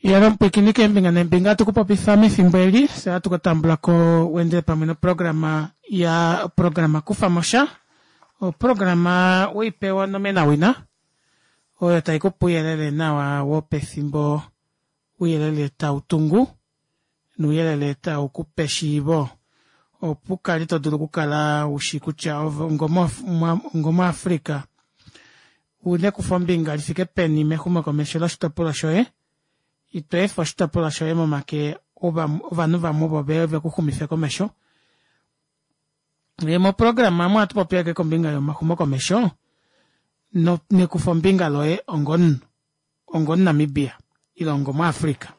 Yalo mupwiikini keembinga neembinga atu kupopifa mefimbo eli fye ohatu katambulako wendele pamwe noprograma ya oprograma kufamosha oprograma weipewa onomenawina oyo taikupe ouyelele nawa wopefimbo ouyelele tautungu nouyelele taukupe eshiivo opo ukale todulu okukala ushi kutya ove onga omu Africa ouna ekufombinga lifike peni mexumokomesho loshitopolwa shoye ito efa oshitopolwa shoye momake ovanhu vamwe ovo veye vekuxumife komesho. Moprograma omu ohatu popi ashike kombinga yomaxumokomesho nekufombinga loye onga omunhu onga omuNamibia ile onga omuAfrica.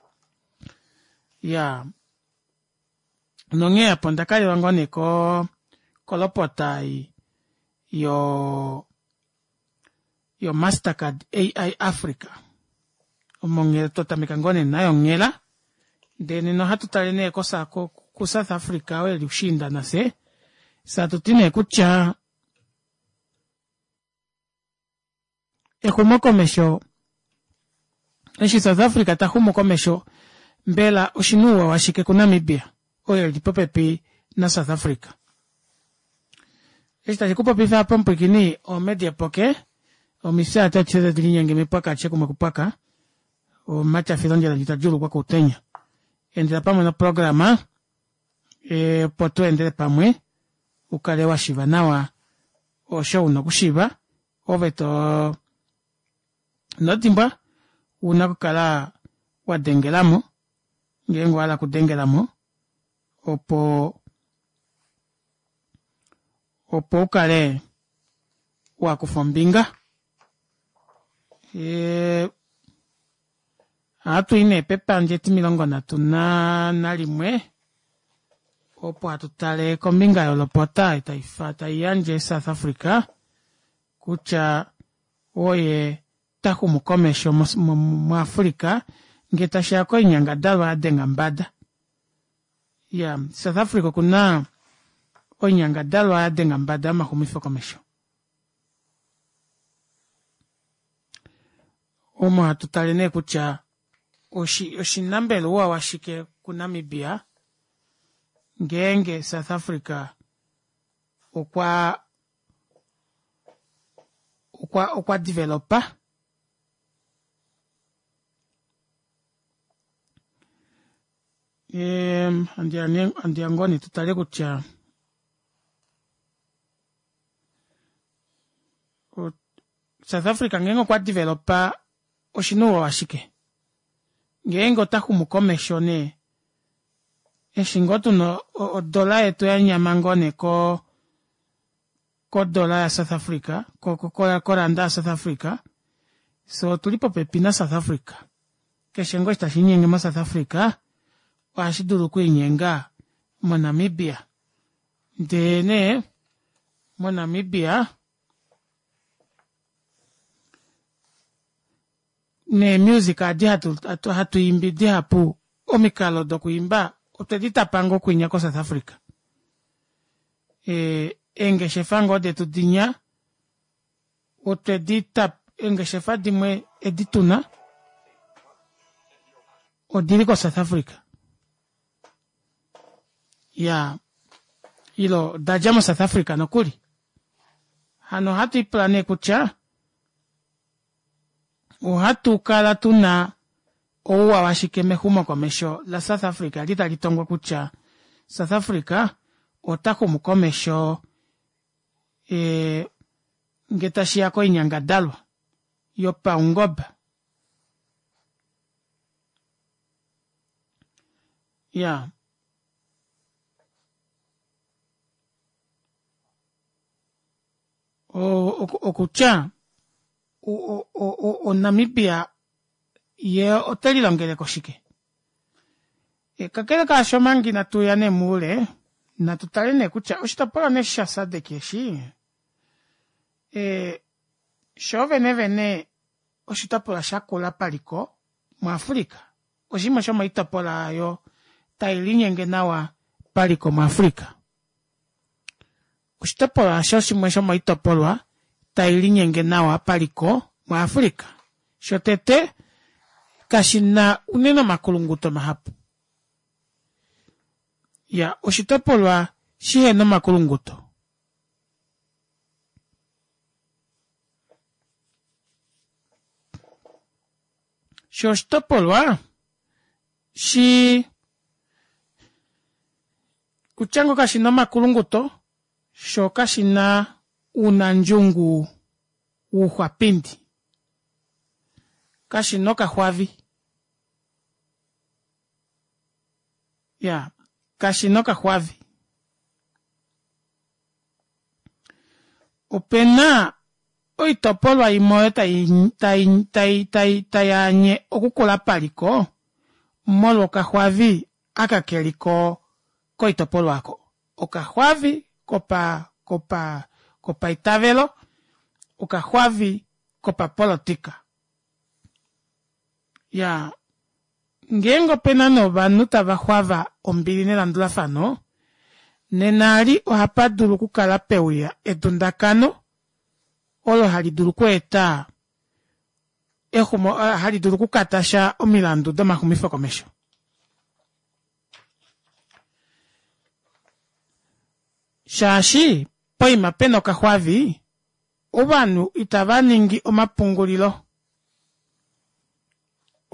Iyaa nonghee apa ondakalelwa ngoo nee kolopota ei yo yoMastercard AI Africa omo twatameka ngoo nee nayo onghela ndee nena ohatu tale nee ku South Africa oo eli ushiinda nafye fyee hatuti nee kutya exumokomesho eshi South Africa taxumu komesho mbela oshina ouwa washike ku Namibia oyo eli popepi na South Africa. Eshi tashi kupopifa apa omupwiikini omedi epoke omifyaati adishe tadi linyenge mepwaka alishe kumwe kupwaka omatyafilo ondjila ndji tadjuulukwa koutenya. Endela pamwe noprograma opo tu endele pamwe ukale washiiva nawa osho una okushiiva ove too inodimbwa ouna okukala wadengelamo ngeenge owahala okudengelamo opo opo ukale wakufa ombinga. Ohatui nee pepandja etimilongo nhatu nalimwe opo hatu tale kombinga yolopota taiyandje South Africa kutya oye taxumu komesho mu Africa ngee tashiya koinyangadalwa yadenga mbada. Iyaa South Africa okuna oinyangadalwa yadenga mbada yomaxumifo komesho. Omo hatu tale nee kutya oshina mbela ouwa washike ku Namibia ngeenge South Africa okwa okwa okwa developa andiya ngoo nee tutale kutya South Africa ngeenge okwa developa oshina ouwa washike ngeenge ota xumu komesho nee eshi ngoo tuna odola yetu yanyama ngoo nee ko kodola ya South Africa koranda ya South Africa fyee otuli popepi na South Africa keshe ngoo eshi tashiinyenge mo South Africa ohashi dulu okwiinyenga mo Namibia ndee nee mo Namibia nee music adi hatu imbi dihapu omikalo dokwiimba otwedi tapa ngoo kwinya ko South Africa. Eengeshefa ngoo detu dinya otwedi tapa eengeshefa dimwe edi tuna odili ko South Africa. Iyaa ile odadja mo South Africa nokuli. Hano ohatu ipula nee kutya Ohatu kala tu na ouwa washike mexumokomesho laSouth Africa eli tali tongwa kutya South Africa ota xumu komesho ngee tashi ya koinyangadalwa yopaungoba. Iyaa. Okutya oNamibia ye ote lilongele ko shike? Kakele kaasho omanga inatu ya nee moule, natu tale nee kutya oshitopolwa nee eshi shaSADC eshi, shoo venevene oshitopolwa shakula paliko muAfrica. Oshimwe shomoitopolwa oyo tai linyenge nawa paliko muAfrica. Oshitopolwa osho shimwe shomoitopolwa tai linyenge nawa paliko muAfrica. Shotete, Kashina unene omakulunguto mahapu. Iya oshitopolwa shihena omakulunguto. Shoo oshitopolwa shii kutya ngoo kashina omakulunguto shoo kashina ounandjungu wouxwapindi. Kashina okaxwavi. Iyaa kashina okaxwavi. Opena oitopolwa imwe oyo tai tai tayaanye okukula paliko molwo okaxwavi aka keliko koitopolwa aako. Okaxwavi kopa kopa kopaitavelo, okaxwavi kopapolitika. Iyaa ngeenge opena nee ovanhu tava xwava ombili nelandulafano nena eli ohapadulu okukala peuya edundakano olo hali dulu okweeta hali dulu okukatasha omilandu domaxumifo komesho. Shaashi poima pena okaxwavi ovanhu itava ningi omapungulilo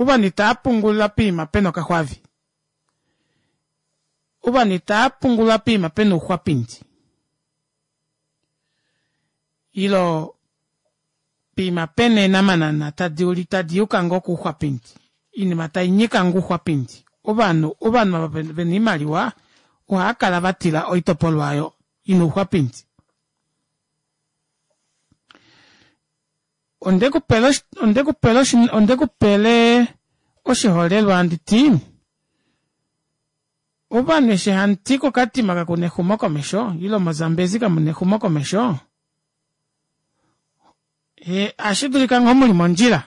ovanhu itava pungula poima pena okaxwavi ovanhu itava pungula poima pena ouxwapindi ilo poima pena eenamanana tadi tadi yuka ngoo kouxwapindi oinima tainyika ngoo ouxwapindi ovanhu ovanhu ava vena oimaliwa ohaakala vatila oitopolwa aayo ina ouxwapindi. Ondekupele ondekupele ondekupele oshiholelwa handiti ovanhu eshi hamuti kokatima kakuna exumokomesho ile mo zambezi kamuna exumokomesho ohashidulika ngoo muli mondjila.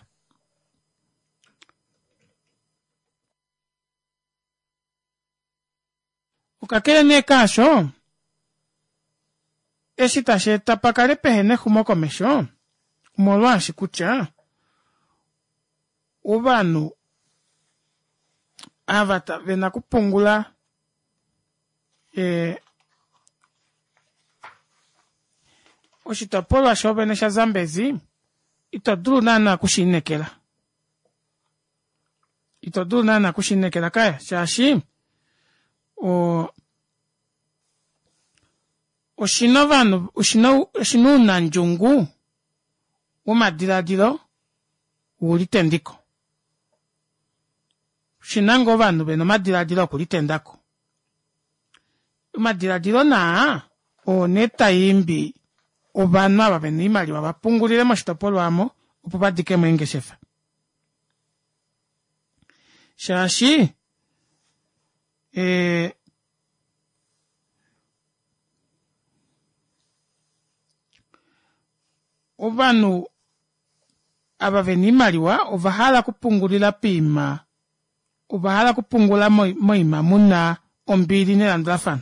Kakele nee kaasho eshi tashi eta pakale pehena exumokomesho omolwaashi kutya ovanhu ava vena okupungula oshitopolwa shoovene sha zambezi ito dulu naana okushiinekela ito dulu naana okushiinekela kaya shaashi oo oshina ovanhu oshina ounandjungu womadilaadilo ulitendiko oshina ngoo ovanhu vena omadilaadilo okulitendako omadilaadilo naa oo nee taimbi ovanhu ava vena oimaliwa vapungulile moshitopolwa aamo opo vadikemo eengeshefa shaashi ovanhu ava vena oimaliwa ovahala okupungulila poima ovahala okupungula moima muna ombili nelandulafano.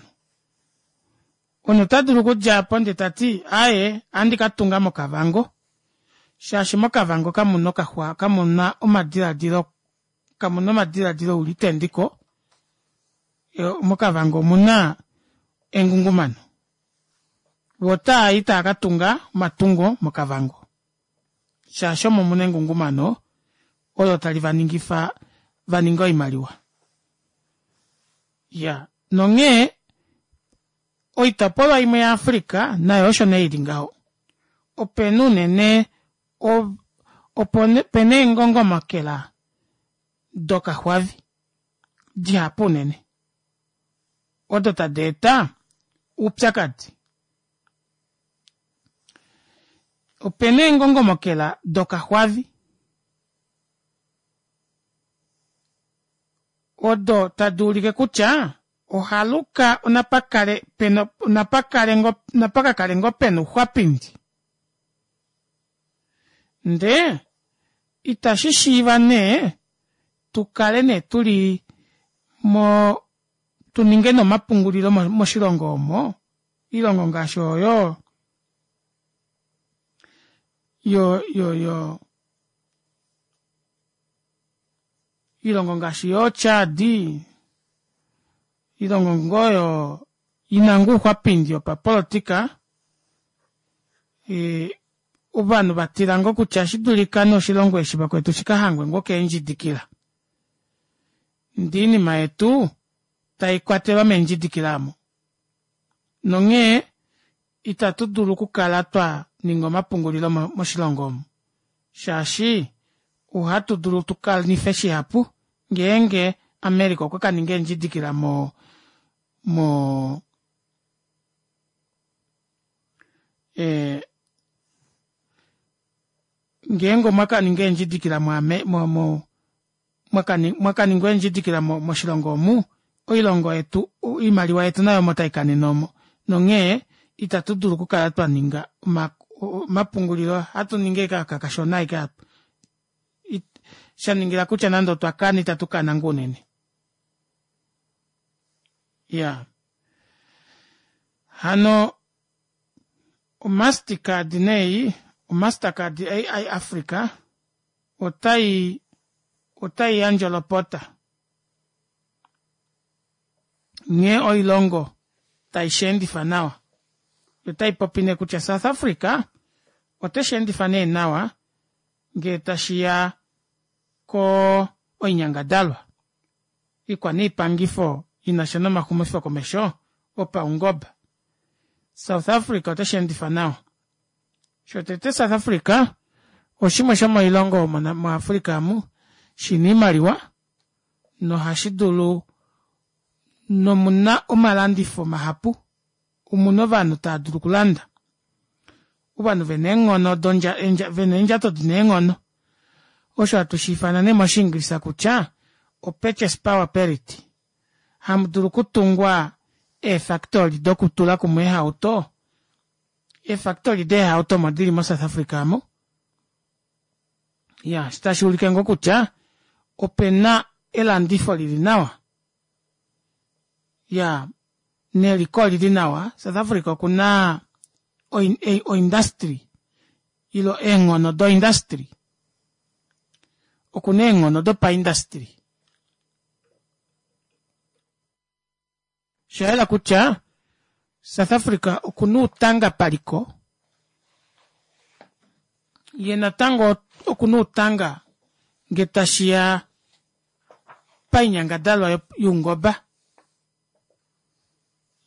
Omunhu otadulu okudja aapo ndee tati aaye ohandi katunga mokavango shaashi mokavango kamuna okaxwa kamuna omadilaadilo kamuna omadilaadilo oulitendiko mokavango omuna engungumano voo otaayi taakatunga omatungo mokavango shaashi omo muna engungumano olo tali vaningifa vaninge oimaliwa. Iyaa nonghee oitopolwa imwe ya africa nayo osho nee ili ngaho. Opena unene opena eengongomakela dokaxwavi dihapu unene odo tadi eta oupyakadi. Opena eengongomokela dokaxwavi odo tadi ulike kutya ohaluka onapakale pena onapakale ngoo napakakale ngoo pena ouxwapindi ndee ita shishiiva nee tukale nee tuli moo tuninge nee omapungulilo moshilongo omo oilongo ngaashi oyo yo yo yo. Oilongo ngaashi yoo Chad, oilongo ngoo oyo ina ngoo ouxwapindi wopapolitika, ovanhu vatila ngoo kutya oshidulika nee oshilongo eshi vakwetu shikahangwe ngoo keendjidikila ndee oinima yetu taikwatelwa meendjidikila aamo nonghee ita tudulu okukala twaninga omapungulilo moshilongo omu shaashi ohatudulu tukanife shihapu ngeenge America okwa kaninga eendjidikila mo mo ngeenge omwakaninga eendjidikila mo mwakaningwa eendjidikila moshilongo omu oilongo yetu oimaliwa yetu nayo omo taikanene omo nonghee ita tudulu okukala twaninga omapungulilo ohatu ningi ashike aka kashona ashike apa shaningila kutya nande otwa kana ita tukana ngoo unene iyaa hano o mastercard nee ei o mastercard AI Africa otai otai yandje olopota nghee oilongo tai sheendifa nawa otai popi nee kutya South Africa ote sheendifa nee nawa ngee tashiya ko oinyangadalwa ikwaniipangifo inasha nomaxumifo komesho opaungoba South Africa ote sheendifa nawa shotete South Africa oshimwe shomoilongo omo muAfrica amu shina oimaliwa nohashi dulu nomuna omalandifo mahapu omuna ovanhu tava dulu okulanda ovanhu vena eenghono vena eendjato dina eenghono osho hatu shiifana nee moshiingilisa kutya o purchase power parity hamudulu okutungwa eefactory dokutula kumwe eehauto eefactory deehauto omo dili mo South Africa aamo iya eshi tashuulike ngoo kutya opena elandifo lili nawa iya neliko olili nawa South Africa okuna oindustry ile eenghono do industry okuna eenghono dopaindustry Oshayela kutya South Africa okuna uutanga paliko ye natango okuna uutanga nge tashiya painyangadalwa youngoba.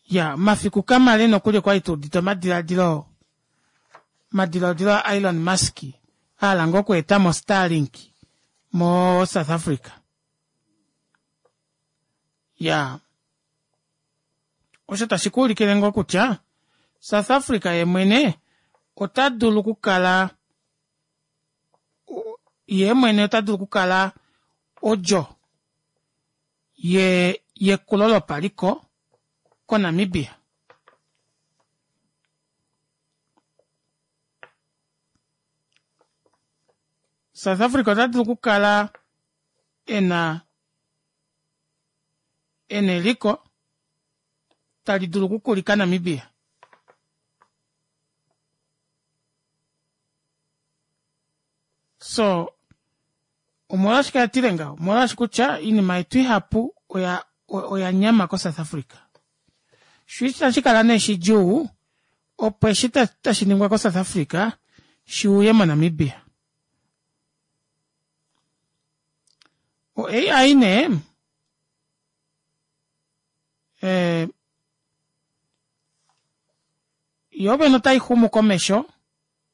Ya omafiku kamale nokuli okwali tuudite omadilaadilo omadilaadilo a Elon Musk ahala ngoo okweetamo Starlink mo South Africa. Ya osho tashi kuulikile ngoo kutya South Africa ye mwene ota dulu okukala ye mwene ota dulu okukala odjo ye yekulo lopaliko koNamibia. South Africa ota dulu okukala ena ena eliko tali dulu okukulika Namibia. So omolwashike atile ngaho? Omolwaashi kutya oinima yetu ihapu oya oya nyama koSouth Africa. Sho itashi kala nee shidjuu opo eshi tashi ningwa koSouth Africa shi uye moNamibia. O AI nee eh, yo vene otai xumu komesho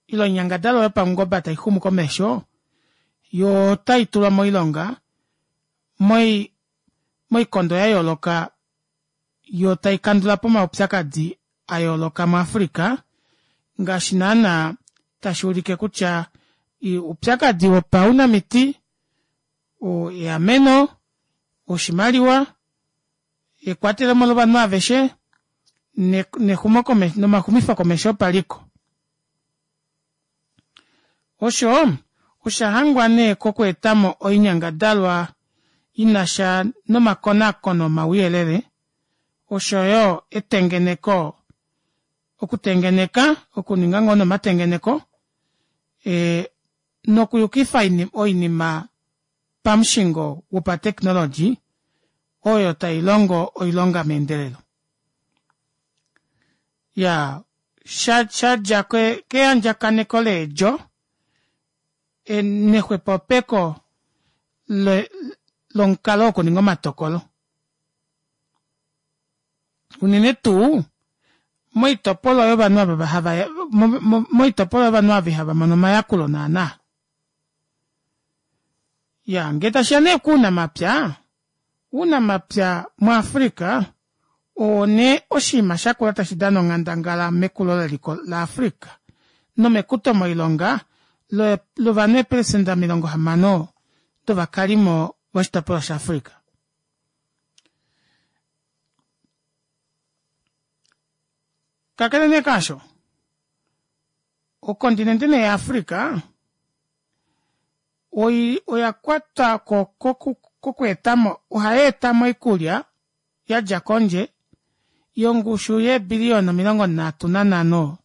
ile oinyangadalwa yopaungoba tai xumu komesho yo otai tulwa moilonga moi moikondo ya yooloka yo tai kandula po omaupyakadi a yooloka muAfrica ngaashi naana tashi ulike kutya oupyakadi wopaunamiti, eameno, oshimaliwa, ekwatelemo lovanhu aveshe nexumokomesho nomaxumifokomesho opaliko. Osho osha hangwa nee kokweetamo oinyangadalwa ina sha nomakonakono omauyelele oshoyo etengeneko okutengeneka okuninga ngoo nomatengeneko e nokuyukifa oinima. pamushingo wopateknologi oyo tai longo oilonga meendelelo. Iyaa shadja keyandjakaneko leedjo nexwepopeko lomukalo wokuninga omatokolo. Unene tuu moitopolwa yovanhu ava hava moitopolwa yovanhu ava ihava mono omayakulo naana. Iyaa ngee tashiya nee kounamapya, ounamapya mu africa oo nee oshinima shakula tashi dana onghandangala mekulo leliko la africa nomekuto moilonga lovanhu eeprecenter 60 dovakalimo voshitopolwa sha africa. Kakele nee kaasho okontinente nee ya africa oya kwatwa kokweetamo ohayeetamo oikulya yadja kondje yongushu yeebiliyona 35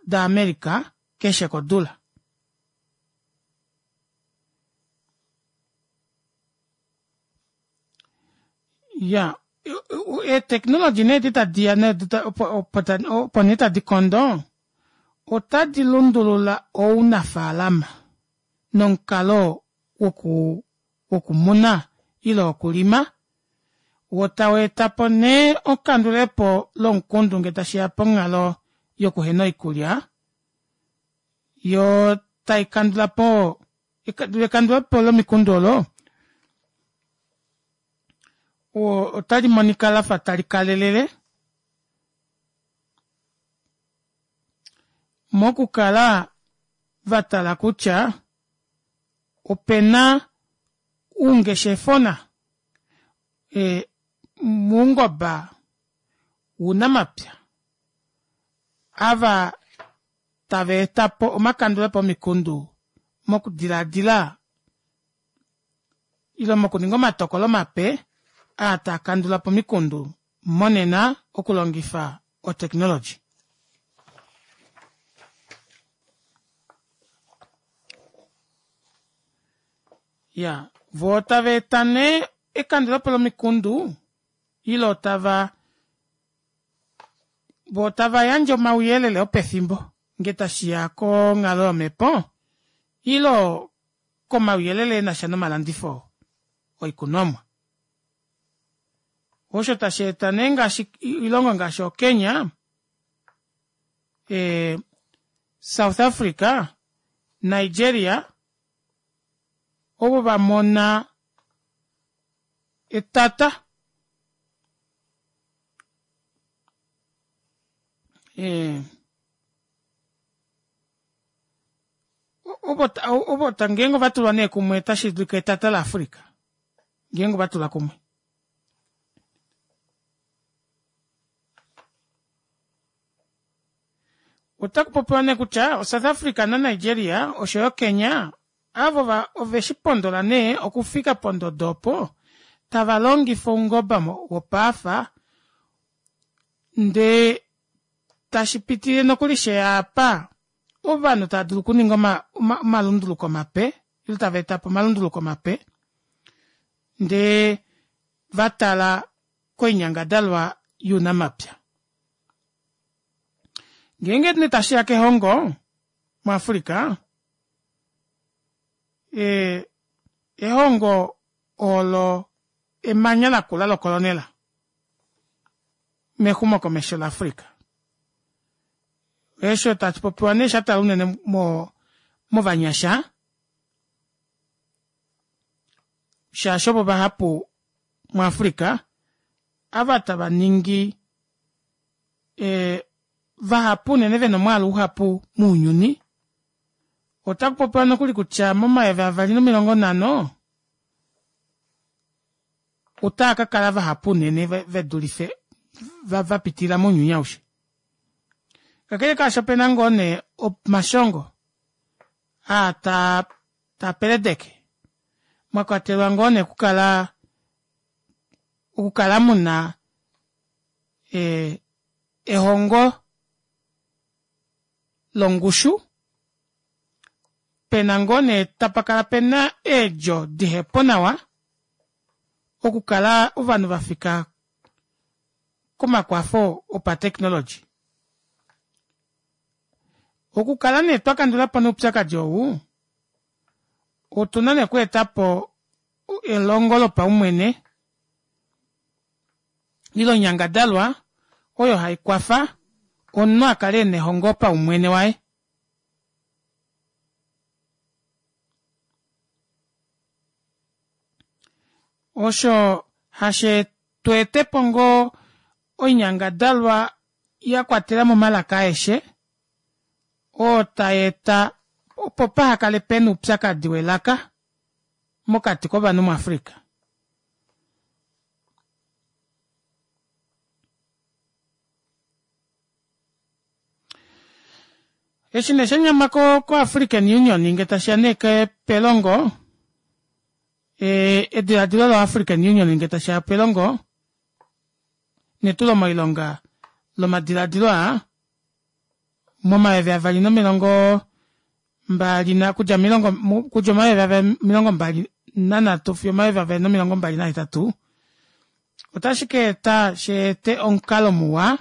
da america keshe kodula. Iyaa eetechnology nee edi tadiya opo nee tadi kondo otadi lundulula ounafalama nomukalo wokumuna ile wokulima woo taweetapo nee ekandulepo lomukundu ngee tashiya ponghalo yokuhena oikulya yoo taikandulapo ekandulepo lomikundu olo otalimonika lafa talikalelele mokukala vatala kutya opena oungeshefona moungoba wounamapya ava tava etapo omakandulepo omikundu mokudilaadila ile mokuninga omatokolo mape aa taakandulapo omikundu monena okulongifa o technology. Iyaa voo tava eta nee ekandulepo lomikundu ile otava voo tavayandje omauyelele opefimbo ngee tashiya konghalo yomepo ile komauyelele enasha nomalandifo oikunomwa. Osho tasheeta nee ngaashi oilongo ngaashi oo kenya south africa nigeria ovo vamona etata ovo ngeenge ovatulwa nee kumwe otashidulika etata la africa ngeenge ovatulwa kumwe. Otakupopiwa nee kutya o south africa na nigeria oshoyo kenya avo oveshipondola nee okufika pondodo opo tava longifa oungoba wopaafa ndee tashipitile nokuli sheyaapa ovanhu tava dulu okuninga omalunduluko mape ile tavaetapo omalunduluko mape ndee vatala koinyangadalwa younamapya. Ngeenge nee tashiya kelongo mu africa ehongo olo emanya lakula lokolonela mexumokomesho la africa. Eesho tashipopiwa nee shatala unene movanyasha shaashi ovo vahapu mu africa ava tava ningi vahapu unene vena omwaalu uhapu mounyuni otakupopiwa nokuli kutya momayovi 2050 otaakakala vahapu unene vedulife vapitilila mounyuni aushe. Kakele kaasho opena ngoo nee omashongo aa taapeledeke mwakwatelwa ngoo nee okukala okukala muna ehongo longushu. Pena ngoo nee tapakala pena eedjo dihepo nawa okukala ovanhu vafika komakwafo opatechnology. Okukala nee twakandulapo noupyakadi ou otuna nee okweetapo elongo lopaumwene ile oinyangadalwa oyo haikwafa omunhu akale ena ehongo paumwene waye. Osho hashe tweetepo ngoo oinyangadalwa yakwatelamo omalaka aeshe oo tayeeta opo pahakale pena oupyakadi welaka mokati kovanhu muAfrica. Eshi nee shanyama ko African Union ngee tashiya nee pelongo edilaadilo lo African Union ngee tashiya pelongo netulo moilonga lomadilaadilo aa momayovi avali nomilongo mbali okudja okudja omayovi avali omilongo mbali nanhatu fiyo omayovi avali nomilongo mbali nahetatu otashi kaeta sheete omukalo muwa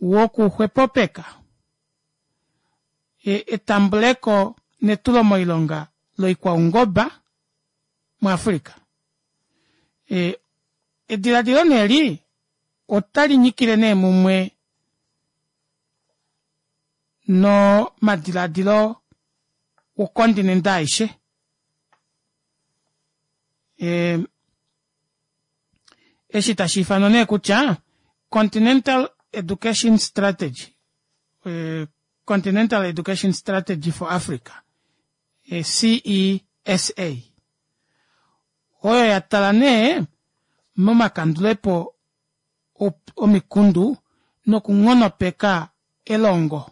wokuxwepopeka etambuleko netulo moilonga loikwaungoba muAfrica. Edilaadilo nee eli otali nyikile nee mumwe nomadilaadilo wokontinente aishe. Eshi tashiifanwa nee kutya Continental Education Strategy, Continental Education Strategy for Africa, CESA, oyo yatala nee momakandulepo omikundu nokunghonopeka elongo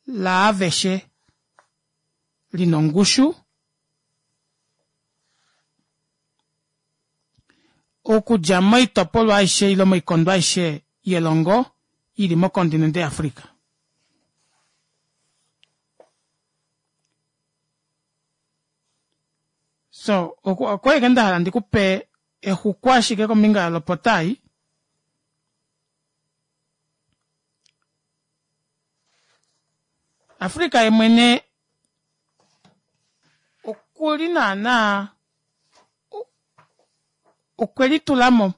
laaveshe lina ongushu okudja moitopolwa aishe ile moikondo aishe yelongo ili mokontinente yaAfrica. So okwali ashike ndahala ndikupe exuku ashike kombinga yolopota ei. Africa yemwene okuli naana okwe litulamo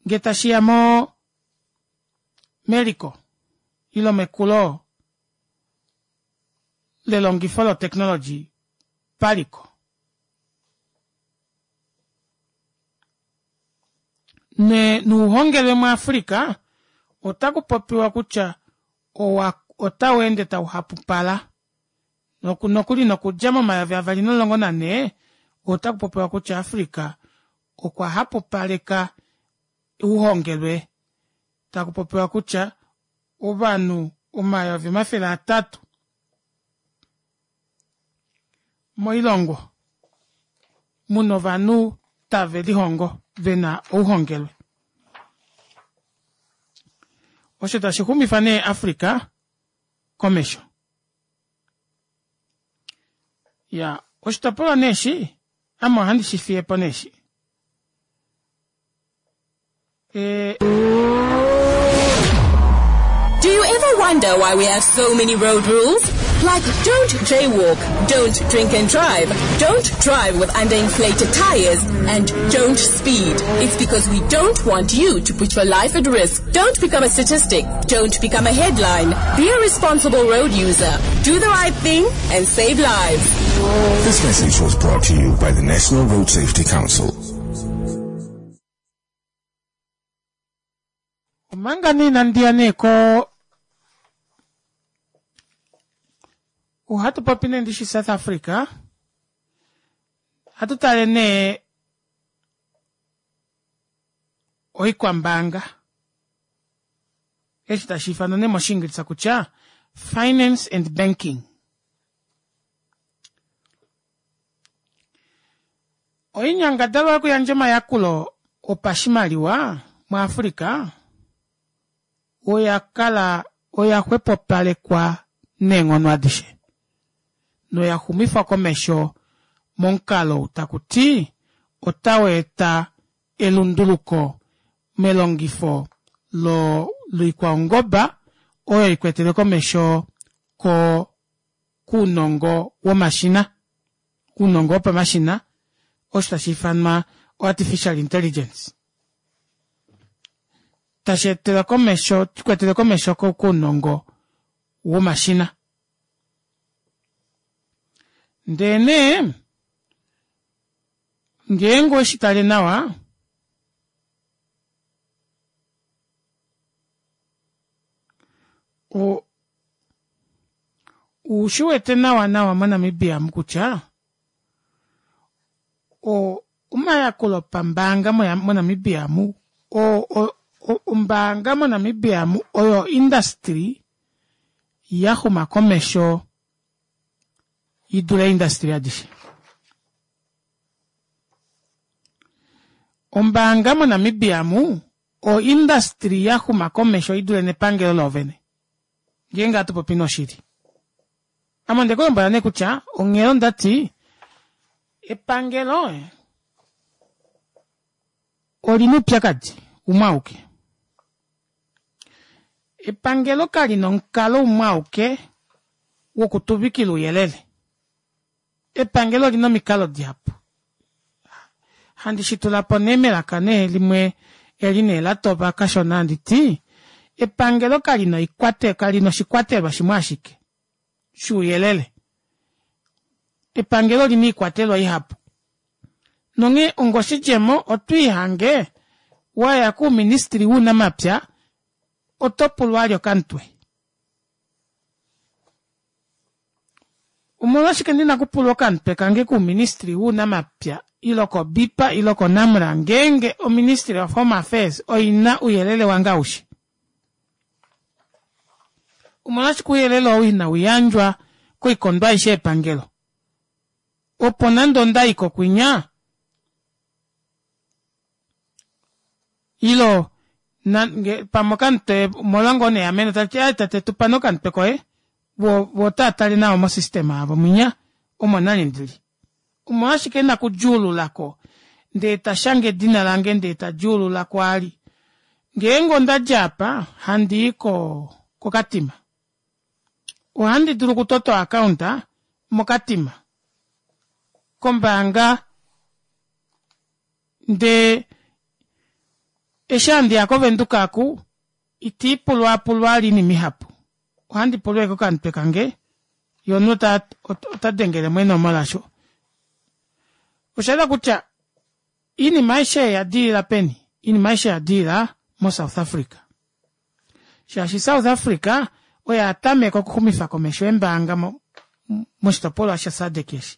ngee tashiya mo meliko ile mekulo lelongifo lotechnology paliko. Nuuhongelwe muAfrica ota kupopiwa kutya owa otau ende tauhapupala nokuli nokudja momayovi avali nomulongo nanhee ota kupopiwa kutya Africa okwa hapupaleka ouhongelwe takupopiwa kutya ovanhu 300,000 moilongo muna ovanhu tave lihongo vena ouhongelwe. Osho tashi xumifa nee Africa komesho. Ya oshitopolwa nee eshi ame ohandi shi fiyepo nee eshi. Do you ever wonder why we have so many road rules? Like don't jaywalk, don't drink and drive, don't drive with underinflated tires, and don't speed. It's because we don't want you to put your life at risk. Don't become a statistic. Don't become a headline. Be a responsible road user. Do the right thing and save lives. This message was brought to you by the National Road Safety Council. Omanga nee inandi ya nee ko ohatu popi nee ndishi South Africa ohatu tale nee oikwambaanga eshi tashi ifanwa nee moshiingilisa kutya finance and banking. Oinyangadalwa yokuyandja omayakulo opashimaliwa muAfrica oya kala oya xwepopalekwa. neenghono adishe noya xumifwa komesho momukalo ou taku ti otau eta elunduluko melongifo lo loikwaungoba oyo ikwetele komesho ko kuunongo womashina uunongo wopamashina osho tashi ifanwa artificial intelligence tashi etela komesho shikwetele komesho kuunongo womashina ndee nee ngeenge oweshi tale nawa o ushi wete nawa nawa moNamibia mu kutya o omayakulo pambaanga moNamibia mu ombaanga moNamibia mu oyo industry yaxuma komesho idule industry adishe. Ombaanga moNamibia mu o industry yaxuma komesho idule nepangelo loovene. Ngeenge hatu popi noshili. Ame onde kulombwela nee kutya onghee ondati epangelo olina oupyakadi umwe auke. Epangelo kalina omukalo umwe auke wokutuvikila ouyelele. Epangelo olina omikalo dihapu. Handi shitulapo nee melaka nee limwe eli nee latopa kashona handi ti epangelo kalina oikwate kalina oshikwatelwa shimwe ashike shuuyelele. Epangelo olina iikwatelwa ihapu. Nonghee ongoshidjemo otwiihange waya kuuministili wuunamapya oto pulwa ali okamutwe. Omolwashike ndina okupulwa okamutwe kange kuuministili wuunamapya ilo koBIPA ilo koNamra ngeenge oMinistry of Home Affairs oina ouyelele wange aushe? Omolwashike ouyelele ou inau yandjwa koikondo aishe yepangelo opo nande onda i kokwinya ilo pamwe okamutwe omolwa ngoo nee eameno tali ti tate tupa nee okamutwe koye vo otava tale nawa mosystema yavo mwinya omo nani ndili. Omolwashike ena okudjuululako ndee tashange edina lange ndee tadjuululako ali ngeenge ondadja apa handii ko kokatima ohandi dulu okutota oaccount mokatima kombaanga ndee eshi handiya kovenduka aku itiipulwaapulwa ali oinima ihapu ohandi pulwa ashike okamutwe kange ye omunhu ota dengelemo eenomola osho oshayela kutya oinima aishe oya dilila peni oinima aishe oya dilila mo-south Africa shaashi South Africa oye atameka okuxumifa komesho eembaanga moshitopolwa shaSADC eshi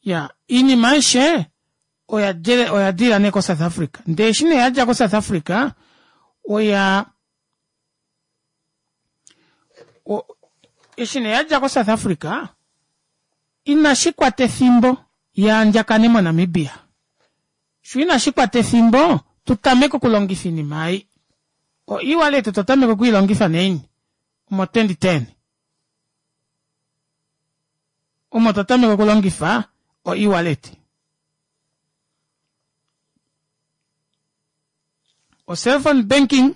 ya oinima aishe oya dilila nee ko-South Africa ndee eshi nee yadja ko-South Africa oya eshi nee yadja ko-South Africa inashi kwata efimbo yaandjakane moNamibia sho inashi kwata efimbo tutameke okulongifa oinima ei o e-wallet otwa tameka okwiilongifa naini omo 2010 omo twa tameka okulongifa o e-wallet o cellphone banking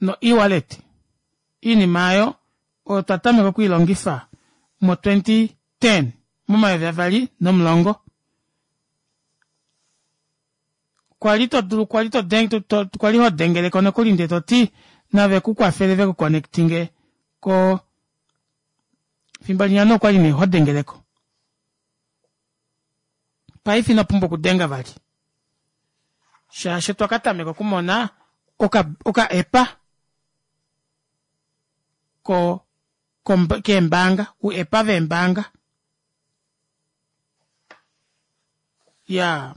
no e-wallet iinima aayo oyo twa tameka okwiilongifa mo 2010 momayovi avali nomulongo kwali to dulu kwali to denge to kwali ho dengeleko nokuli ndee toti nave ku kwafele ve ku connectinge ko fimbo linya no kwali nee ho dengeleko paife ino pumbwa okudenga vali shaashi otwa ka tameka okumona oka oka epa ko keembaanga uepa veembaanga ya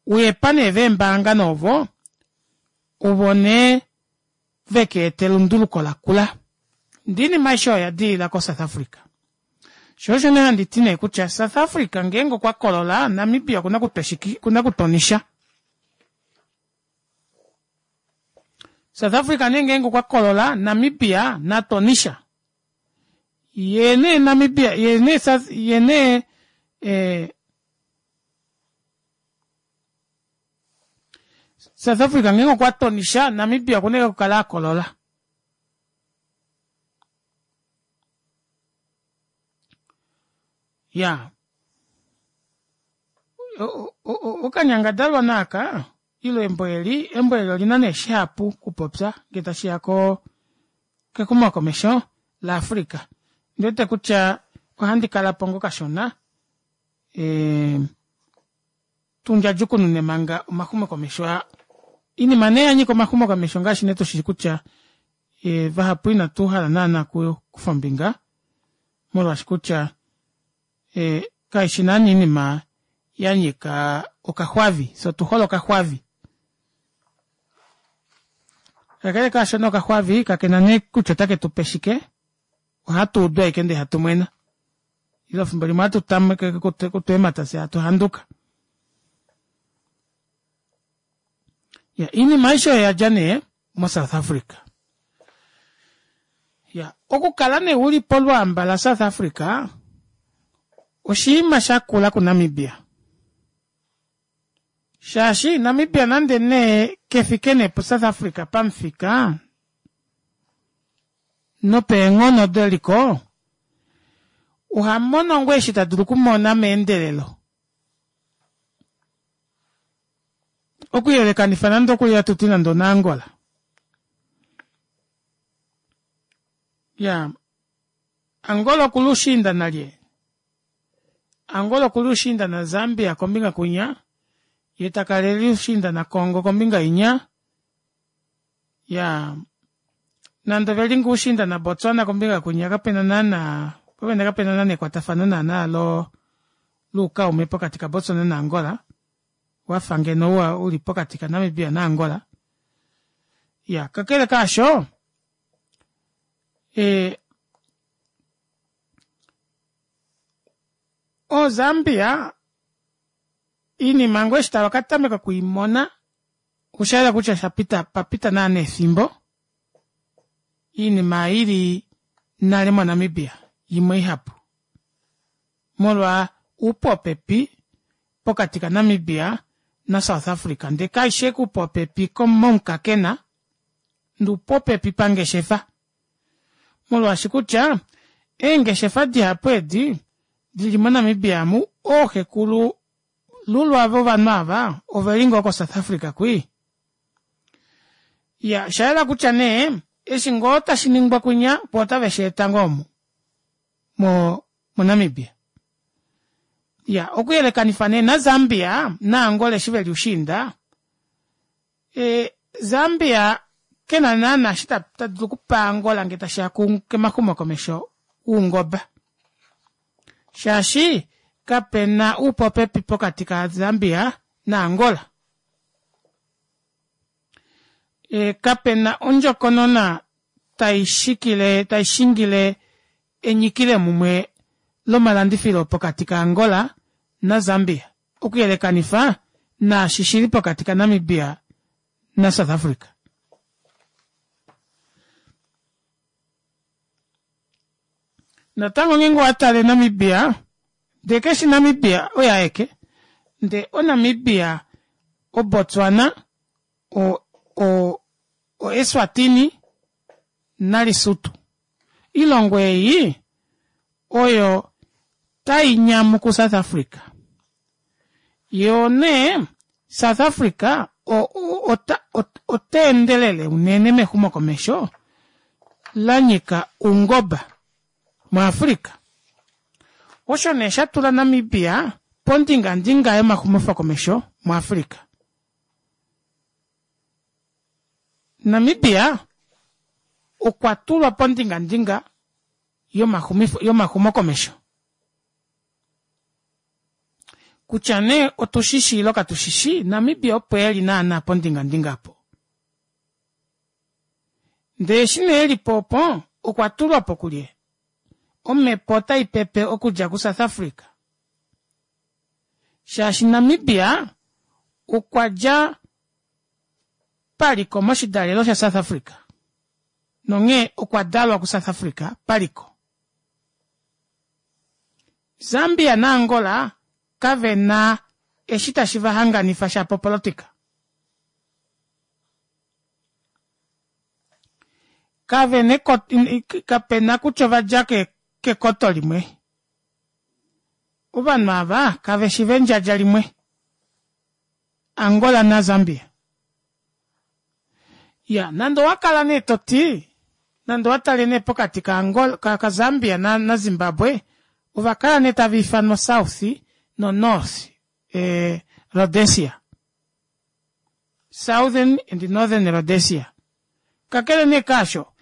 uepa nee veembaanga novo ovo nee veke eta elunduluko lakula ndee oinima aishe oyo oya dilila koSouth Africa sho osho nee handi ti nee kutya South Africa ngeenge okwa kolola Namibia okuna okutwa onisha. South Africa nee ngeenge okwa kolola Namibia naTonisha yee nee Namibia yee nee South yee nee eh, South Africa ngeenge okwa tonisha Namibia okuna okukala a kolola. Ya okanyangadalwa naaka ile embo eli embo eli olina nee shihapu kupopya ngee tashiya ko kexumokomesho laAfrica. Ondiwete kutya ohandi kalapo ngoo kashona ee tundjadjukunune manga omaxumokomesho aa. Oinima nee yanyika omaxumokomesho ongaashi nee tushishi kutya e, vahapu inatu hala naana okukufa ombinga molwaashi kutya e, kaishi naana oinima ya nyika okaxwavi fye otu hole okaxwavi kakele kaashono okaxwavi kakena nee kutya otake tu pe shike ohatu udu ashike ndee hatu mwena ile efimbo limwe ohatu tameke kutweemata fye hatu handuka ya iinima aishe oyo yadja nee moSouth Africa ya okukala nee uli polwaamba laSouth Africa oshinima shakula kuNamibia shaashi Namibia nande nee kefike nee puSouth Africa pamufika nopeenghono deliko oha mono ngoo eshi ta dulu okumona meendelelo okuyelekanifa nande okuli hatu ti nande onaAngola ya Angola okuli ushiinda nalye Angola okuli ushiinda naZambia kombinga kunya ye takala eli ushiinda naCongo kombinga inya ya nande oveli ngoo ushiinda naBotswana kombinga kunya kapena naana popena kapena naana ekwatafano naana lo loukaume pokati kaBotswana naAngola wafa ngeno wa uli pokati kaNamibia naAngola ya kakele kaasho e, oZambia iinima ngoo eshi tava ka tameka okwiimona Osha yela kutya sha pita pa pita naana efimbo iinima ili nale moNamibia yimwe ihapu molwa uupopepi pokati kaNamibia naSouth Africa ndee kaishi ashike uupopepi momukakena ndee uupopepi pangeshefa molwaashi kutya eengeshefa dihapu edi dili moNamibia amu ooxekulu Lulwa ava ovanhu ava oveli ngoo koSouth Africa kwii. Ya oshayela kutya nee eshi ngoo tashi ningwa kwinya poo otave shi eta ngoo omu mo moNamibia. Ya okuyelekanifa nee naZambia naAngola eshi veli ushiinda e, Zambia kena naana eshi ta dulu okupa Angola ngee tashiya kemaxumokomesho oungoba shaashi kapena uupopepi pokati kaZambia naAngola. E, kapena ondjokonona tai shikile tai shingile enyikile mumwe lomalandifilo pokati kaAngola naZambia okuyelekanifa naashi shili pokati kaNamibia naSouth Africa. Natango ngeenge owa tale Namibia, ndee keshi Namibia oye aeke, ndee oNamibia, oBotswana, o, o, oEswatini naLesotho. Oilongo ei oyo tai nyamu kuSouth Africa. Yoo nee South Africa ota endelele unene mexumokomesho la nyika oungoba muAfrica. Osho nee sha tula Namibia pondingandinga yomaxumofokomesho muAfrica. Namibia okwa tulwa pondingandinga yomaxumokomesho. Kutya nee otu shi shi ile katu shi shi, Namibia opo e li naana pondingandinga opo. Ndee eshi nee e li po opo, okwa tulwa po kulye? Omhepo otai pepe okudja kuSouth Africa. Shaashi Namibia okwa dja. paliko moshidalelo shaSouth Africa nonghee okwa dalwa kuSouth Africa paliko. Zambia naAngola kave na eshi tashi va hanganifa shapo opolotika. Kave na kape na kutya ova dja kekoto limwe. Ovanhu ava kave shi vendjadja limwe. Angola naZambia. Ya, nande owa kala nee to ti, nande owa tale nee pokati kaAngola, kaZambia naZimbabwe, ova kala nee tava ifanwa South noNorth eh, Rhodesia. Southern and Northern Rhodesia. Kakele nee kaasho,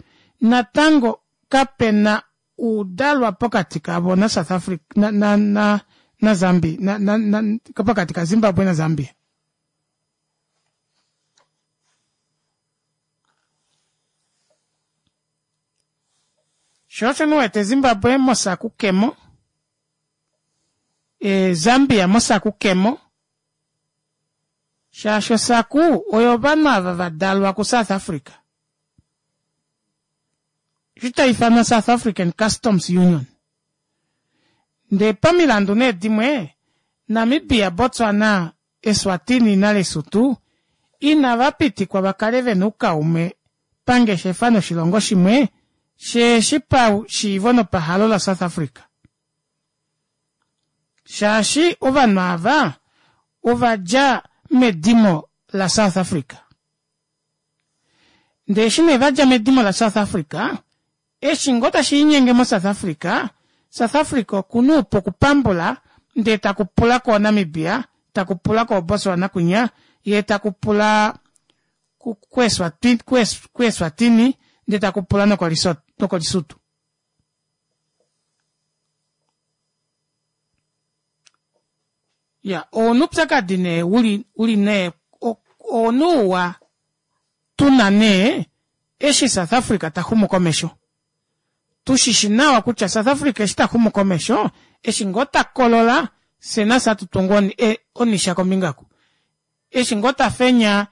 natango kape na uudalwa pokati kavo naSouth Africa, na, na, na, na Zambia, na, na, na, pokati kaZimbabwe naZambia. Sho osho ndi wete Zimbabwe moSACU kemo, e, Zambia moSACU kemo, shaashi oSACU oyo ovanhu ava va dalwa kuSouth Africa. Eshi tai ifanwa South African Customs Union. Ndee pamilandu nee dimwe, Namibia, Botswana, Eswatini naLesotho inava pitikwa va kale ve na oukaume pangeshefa noshilongo shimwe sheeshi pashiivo nopahalo laSouth Africa. Shaashi ovanhu ava ova dja medimo laSouth Africa. Ndee eshi nee va dja medimo laSouth Africa, eshi ngoo tashi linyenge moSouth Africa, South Africa oku na oupu okupambula ndee taku pula kooNamibia, taku pula kooBotswana kwinya, yee taku pula kuEswatini ndee taku pula nokoLesotho. Ya, ouna oupyakadi nee uli, uli nee, ouna ouwa tu na nee eshi South Africa ta xumu komesho. Tu shi shi nawa kutya South Africa eshi ta xumu komesho, eshi ngoo ta kolola, fye nafye hatu tungu e, onisha kombinga ku. Eshi ngoo ta fenya,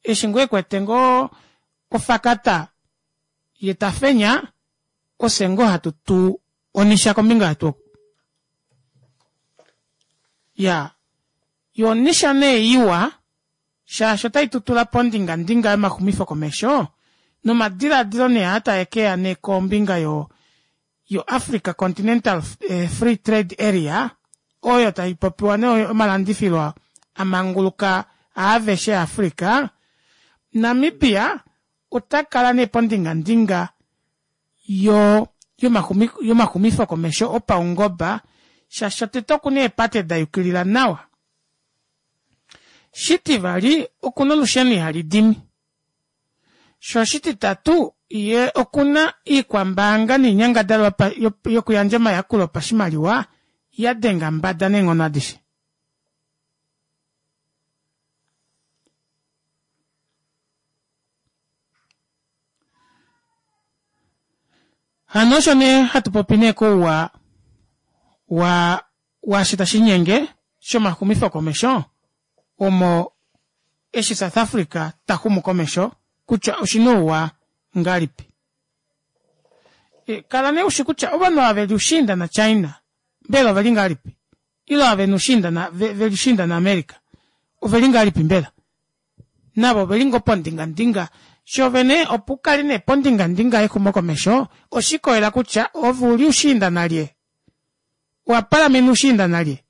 eshi ngoo e kwete ngoo ofakata ye ta fenya, ofye ngoo hatu tu onisha kombinga yetu oku. Ya, yo onisha nee iwa, shaashi otai tu tula pondingandinga yomaxumifo komesho nomadilaadilo nee aa tae ke ya nee kombinga yo yo Africa Continental eh, Free Trade Area oyo tai popiwa nee omalandifilo a manguluka aaveshe Africa, Namibia ota kala nee pondingandinga yo yomaxumifo komesho opaungoba shaashi shotete oku na eepate da yukilila nawa. Shitivali, oku na olusheno ihali dimi. Sho oshititatu, ye oku na iikwambaanga niinyangadalwa yokuyandja omayakulo opashimaliwa ya denga mbada neenghono adishe. Hano osho nee hatu popi nee kouwa wa waashi tashi linyenge shomaxumifokomesho omo eshi South Africa ta xumu komesho kutya oshi na ouwa ngahelipi. E, kala nee ushi kutya ovanhu ava ve li ushiinda naChina mbela ove li ngahelipi? Ile ava ve na ushiinda na, ve, ve li ushiinda naAmerica ove li ngahelipi mbela? Navo ove li ngoo pondingandinga shovene opo u kale nee pondingandinga yexumokomesho oshikolela kutya ove u li ushiinda nalye? Owa palamena ushiinda nalye?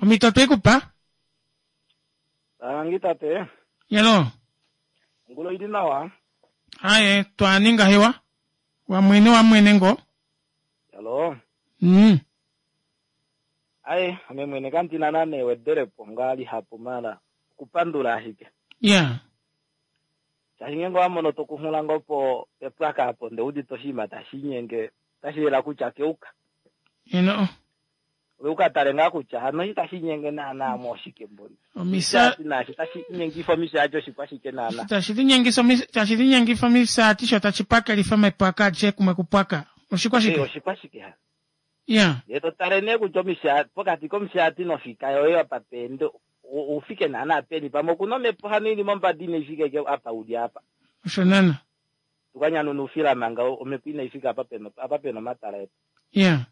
Omhito otwe i ku pa. Tangi tate. Yelo. Ongula oili nawa. Aye, twa ninga hewa. Wa mwene wa mwene ngoo. Yalo. Aye, ame mwene kandi na nane ewedelepo ngaa lihapu mala okupandula ashike. Yeah. Shaashi ngeenge owa mono tokunghula ngoo po pepwaka apo ndee udite oshinima tashi linyenge otashi yela kutya keuka. Eno. Ove uka tale ngaa kutya hano eshi tashi linyenge naana mo oshike mboli. Omisa Naashi tashi linyengifa omishaati oshikwashike naana. Tashi linyengisa omis tashi linyengifa omisaati sho tashi pwakelifa omepwaka adishe kumwe kupwaka. Oshikwashike? Eh, oshikwashike hano. Yeah. Ndee to tale nee kutya omishaati pokati komushaati nofika yoye apa peende. ufike naana peni pamwe okuna omhepo hano ili mombada inai fika ike apa uli apa. Osho naana. Tukanyanuna oufila manga omhepo inai fika apa pena apa pena omatala etu. Yeah.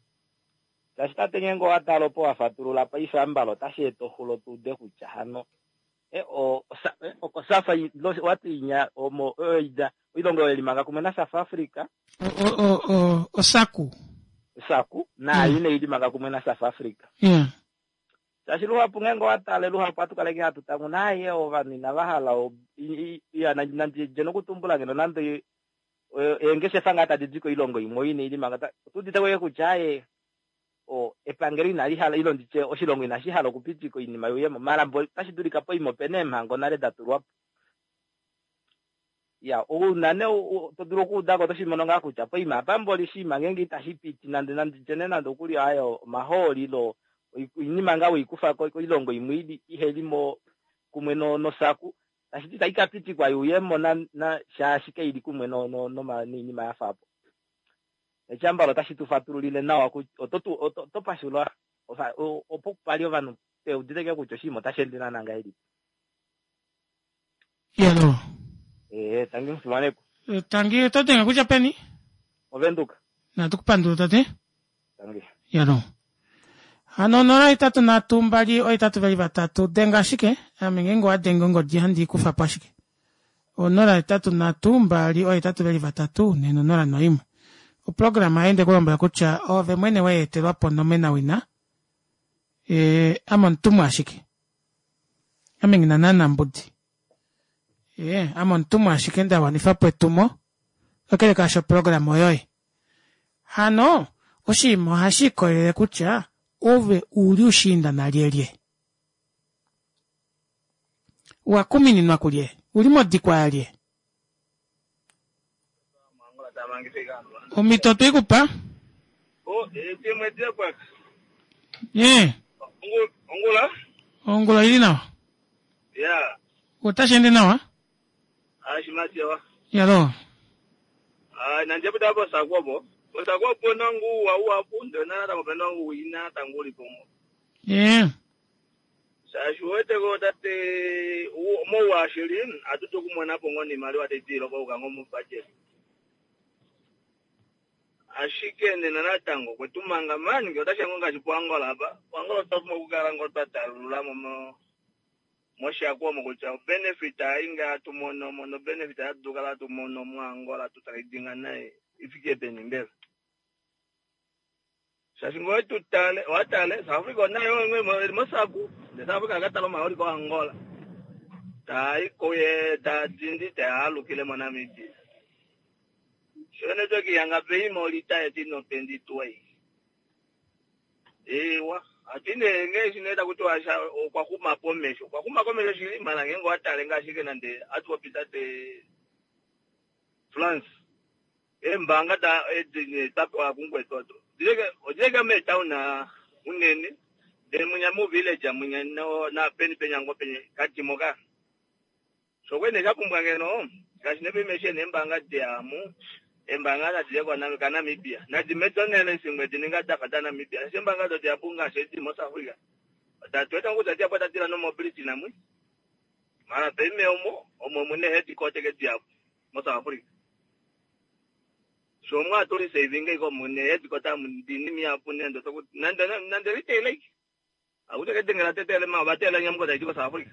Shaashi tate ngeenge owa tala opo wa fatulula paife ambala otashi eta oxulo tu ude kutya hano e, o, osa, e, okosafa wati inya omo oida oilongo oyo limanga kumwe na South Africa. O, o, o, osaku. Osaku naayo mm. inai limanga kumwe na South Africa. Yeah. Shaashi luhapu ngeenge owa tale luhapu ohatu kala hatu tanguna aye ovanhu inava hala ya nandi dje nokutumbula ngeno nande eengeshefa ngaa tadi di koilongo imwe oyo inai limanga otu udite ko kutya aye o epangelo inali hala ilo nditye oshilongo inashi hala okupitika oinima yuyemo mara mbo otashi dulika poima opena eemhango nale da tulwa po ya ouna ne to dulu okuudako oto shi mono ngaa kutya poima apa mboli oshinima ngeenge itashi piti nande nande nditye nande okuli ayo omahooli ilo oinima ngaa weikufa koilongo imwe ili iheli mo kumwe no nosaku tashi ti itayi ka pitikwa yuuyemo na, na shaashi kaili kumwe no, no, no, noinima ya fa apo. Eshambalo otashi tu fatululile nawa kutya oto tu oto, oto pashula opo pali ovanhu pe udite kutya oshinima otashi ende naana ngahelipi. Yalo. Eh, tangi mufimanekwa. Eh, tangi oto denge kutya peni? Ovenduka. Natu kupandula tate. Tangi. Yalo. Hano 083 2 823 denga ashike ame ngeenge owa denge ongodi handi i kufa po ashike. 083 2 823 nena 01. Oprograma oya ende kulombwela kutya oove mwene we etelwa po nomenawina. E, ame omutumwa ashike. Ame nghi na naana mbudi. Ee, ame omutumwa ashike nda wanifa po etumo. Kakele kaasho oprograma oyoye. Hano, oshinima ohashi ikolele kutya ove u li ushiinda nalyelye. Wa kumininwa kulye? U li modikwa yalye? Omhito otwe i ku pa. Ee. Ongula. Ongula oili nawa. Ya. Otashi ende nawa? Ashimatewa. Yalo. Ah, nanje buda bo sakwobo. Bo sakwobo nangu wa wa pundo na tango pena wina tangu lipomo. Ee. Shaashi uweteko tate mouashili atuti okumona po ngoo niimaliwa tayi ziilile okuuka ngoo mobudget. Ashike nena natango okwe tu manga man ngele otashi ya ngoo ngaashi puAngola apa, puAngola otwa pumbwa okukala ngoo twa talulula mo moshako omo kutya obenefit ayi ngaa hatu mono mo nobenefit hatu kala hatu mono muAngola tu tradinga naye i fike peni mbela. Shaashi ngee owetu tale, owa tale, South Africa onaye eli mosaku, ndele South Africa aka tala omahooli koAngola. Taa ko ye ta dindi te alukile moNamibia. Sho network yanga peima olita yeti nopendi twei. Ewa, ati nee ngee eshi nee taku tiwa sha okwa xuma komesho. Okwa xuma komesho shili, mala ngeenge owa tale ngaashi ashike nande hatu popi tate France. Eembaanga da edi nee twa pewa kumukwetu odo odileke meetown unene ndele munya mu village munya no na peni penya ngo penye kadimo ka. Sho kwene sha pumbwa ngeno ngaashi nepe eshi neembaanga diamu eembaanga nadi ye ka Namibia nadi medonele simwe di ninga dafa da Namibia eshi eembaanga do dihapu ngaashi edi mo South Africa oda tweta kutya dihapu oda dila nomobility namwe mara peime omo omo mune headquarter ke dihapu mo South Africa. Sho mwa tuli saving iko mune headquarter mundini miapu nendo toku nande nande retail like akute kedengela tetele ma batela nyamuko taiti ko South Africa.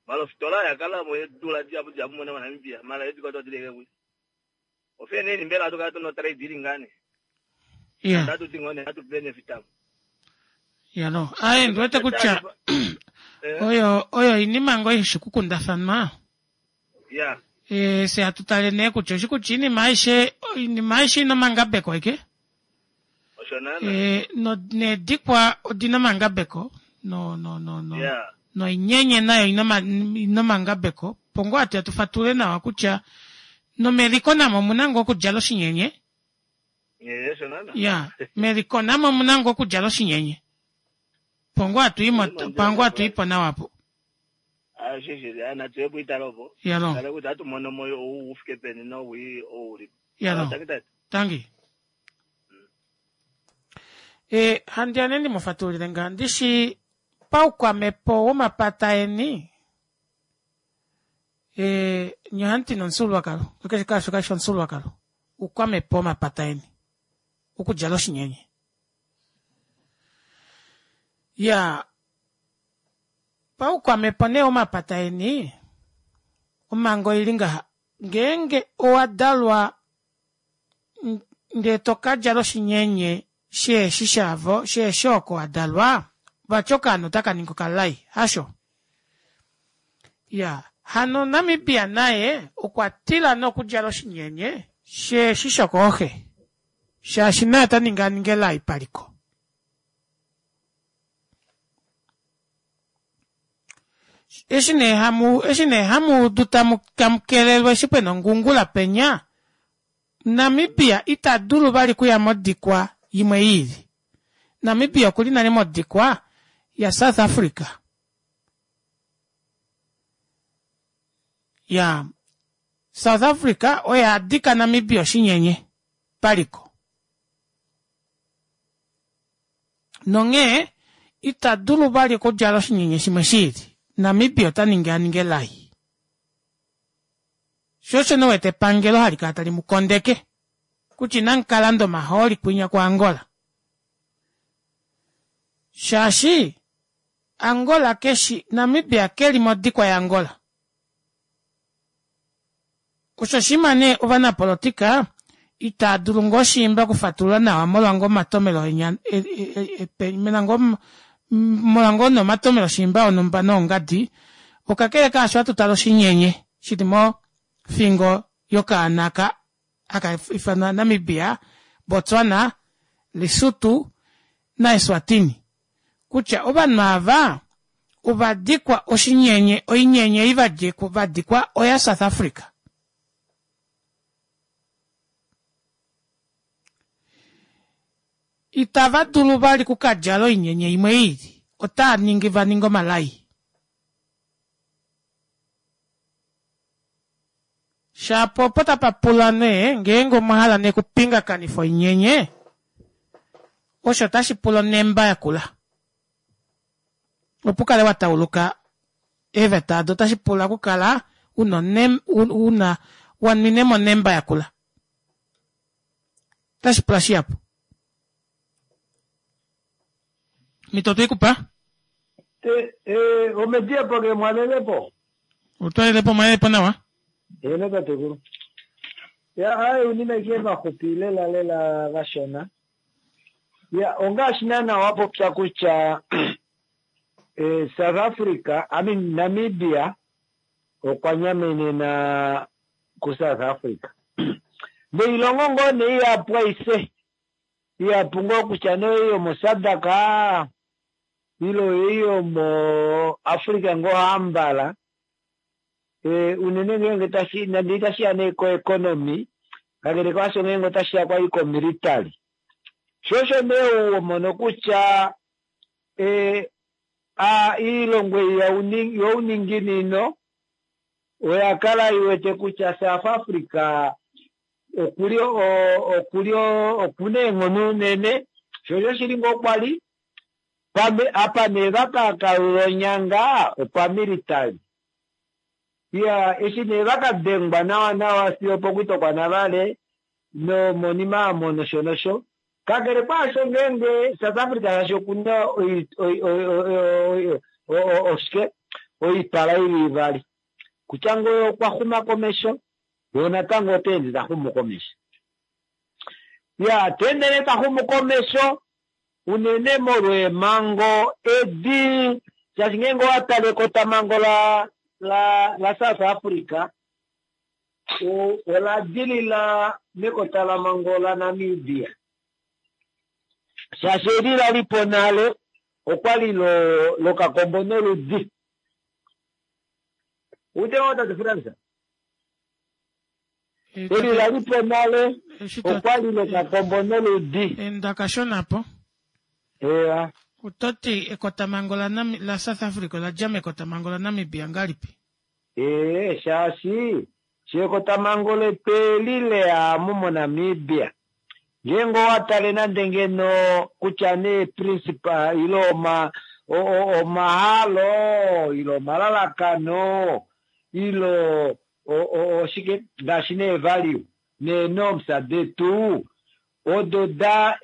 Malo fitola ya kala mo dula diapu diapu mona Namibia mala headquarter dileke ku. Ofene ni mbela atuka to no trade dealing ngane. Yeah. Tatu tingone atu benefit am. Ya no. Aye ndiwete kutya oyo oyo iinima ngoo ishi kukundafanwa. Ya. E, se hatu tale nee kutya oshi kutya iinima aishe oinima aishe ina omangabeko eke. Osho naana. E, no needikwa odina omangabeko no no no no. Yeah. Noinyenye nayo ina ina omangabeko. Pongo hatu ya tu fatulule nawa kutya nomeliko namo omuna ngoo okudjala oshinyenye. Ye, osho naana. Ya, meliko namo omuna ngoo okudjala oshinyenye. Pongo hatu imo pango hatu ipo nawa po. Ah, shi shi, ah, natu ye puitalo opo. Yalo. Tale kutya hatu mono mo ou u fike peni nowii ou uli. Yalo. Tangi tate. Tangi. E, handi ane ndi mu fatulile ngaa ndi shi. Paukwamhepo womapata eni, e, nye ohamu ti nomufyuululwakalo, keshe kaasho kashi fi omufyuululwakalo, oukwamhepo womapata eni, okudjala oshinyenye. Ya, paukwamhepo nee womapata eni, omhango oili ngaha, ngeenge owa dalwa ndee to ka djala oshinyenye sheeshi shavo, sheeshi oko wa dalwa, vati okaana otaka ningi okalai, hasho? Ya, hano Namibia naye okwa tila nee okudjala oshinyenye sheeshi shokooxe, shaashi naye ota ningi a ninge elai paliko. Eshi nee hamu, eshi nee hamu udu tamu, tamu kelelwa eshi pena ongungula penya, Namibia ita dulu vali kuya modikwa imwe yiili. Namibia okuli nale modikwa yaSouth Africa. Ya, South Africa oye a dika Namibia oshinyenye paliko. Nonghee ita dulu vali okudjala oshinyenye shimwe shiili. Namibia ota ningi a ninge elai. Sho osho nee wete epangelo hali kala tali mu kondeke kutya inamu ka landa omahooli kwinya kuAngola. Shaashi Angola keshi Namibia keli modikwa yaAngola. Osho oshinima nee ovanapolotika itaa dulu ngoo shiimba okufatulula nawa molwa ngoo omatomelo enya mena ngoo molwa ngoo nee omatomelo shiimba onhumba noongadi, okakele kaasho hatu tale oshinyenye shili mofingo yokaana aka haka ifanwa Namibia, Botswana, Lesotho naEswatini kutya ovanhu ava ova dikwa oshinyenye, oinyenye ei va dikwa oya South Africa. Itava dulu vali kukadjala oinyenye imwe iili, otaa ningi va ninge omalai. Shapo opo tapa pula nee ngeenge omwa hala nee okupingakanifa oinyenye, osho otashi pula onemba yakula. Opo u kale wa tauluka eeveta odo otashi pula okukala una una wa nwine mo onemba yakula. Otashi pula shihapu. Mito otwe i ku pa? Omediya po ke mwalele po. Otwalele po mwalele po nawa. Eeno tatekulu. Ya aye unina ike vaxupi lela lela vashona. Ya ongaashi naana wa popya kutya eh, South Africa, I mean Namibia okwa nyamenena ku South Africa. Noilongo ngoo nee ihapu aishe ihapu ngoo kutya nee oyo yomoSADC ile oyo yomoAfrica ngoo hambala e, unene ngeenge tashi nande itashi ya nee koeconomy kakele kwaasho ngeenge otashi ya kwali komilitary sho osho nee uwomono kutya e, a, iilongo ei youninginino oya kala iwete kutya South Africa okuli okuli okuna eenghono unene sho osho shili ngoo kwali pame apa nee vakakalula onyanga opamilitary iya eshi nee vakadengwa nawa nawa fiyo pokutokwa navale nomonima amo nosho nosho kakele kwaasho ngeenge South Africa shaashi okuna oshike oipala ili ivali kutya ngoo okwa xuma komesho yo natango ota ende ta xumu komesho ya ta ende nee ta xumu komesho unene molweemhango edi shaashi ngeenge owa tale ekotamhango la la la South Africa ola dilila mekotalamhango laNamibia shaashi eli la lipo nale okwali lokakombo noludi ute ngoo tate Frans eli la lipo nale okwali lokakombo noludi enda kashonapo eya ototi ekotamhango la South Africa ola dja mekotamhango laNamibia ngalipi ee shaashi shekotamhango letu eli leya moNamibia ngeenge owa tale nande ngeno kutya nee principal ile oma Omahalo ile omalalakano ile oshike ngaashi nee value nee-norms detu odo da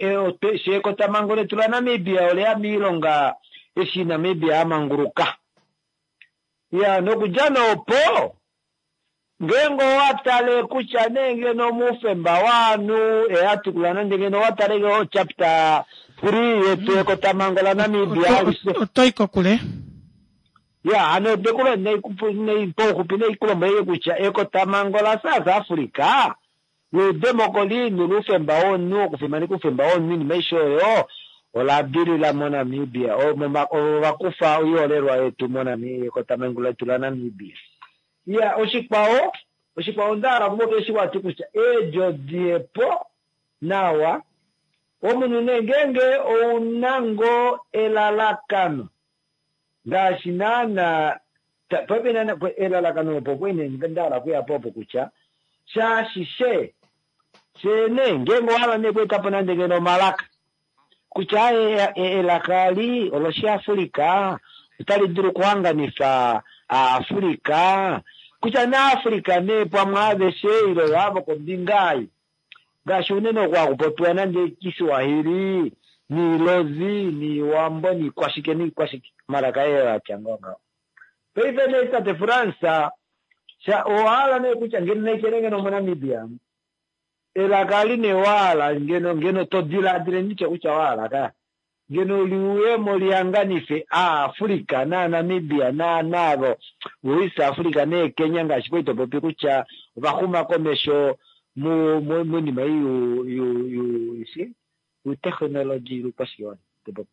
shekotamhango letu laNamibia oleya miilonga eshi Namibia a manguluka. Ya nokudja noopo ngeenge owa tale kutya nee ngeno omuufemba waanhu eatukula nande ngeno owa tale ngeno chapter 3 yetu yekotamhango laNamibia alishe. Oto i kokule. Ya hano ndekulo pauxupi neikulombwelele kutya ekotamhango laSouth Africa loudemokoli noloufemba womunhu okufimaneka oufemba womunhu oinima aishe oyo ola dilila moNamibia. Ovo va kufa oiholelwa yetu moNamibia ekotamhango letu laNamibia. Ya oshikwao oshikwao onda hala okupopya eshi wati kutya eedjo diyepo nawa omunhu nee ngeenge ouna ngoo elalakano ngaashi naana paife naana elalakano opo kwene nda hala okuya po opo kutya shaashi she shene ngeenge owa hala nee okweeta po nande ngeno omalaka kutya elaka ali oloshiAfrika otali dulu okuhanganifa aAfrika kutya naAfrika nee pamwe aveshe ile avo kombinga ei ngaashi unene oku hakupopiwa nande Kiswahili niilozi niiwambo niikwashike niikwashike omalaka ee atya ngoo ngaho. Paife nee tate France owa hala nee kutya ngeno naikele ngeno moNamibia elaka ali nee wahala ngeno ngeno to diladile nditye kutya wahala ka ngeno liuyemo lihanganife aAfrika naaNamibia naanaavo voEast Africa neeKenya ngaashi kwali topopi kutya ovaxuma komesho moinima ei youtekhnology loukwashiwana topopi.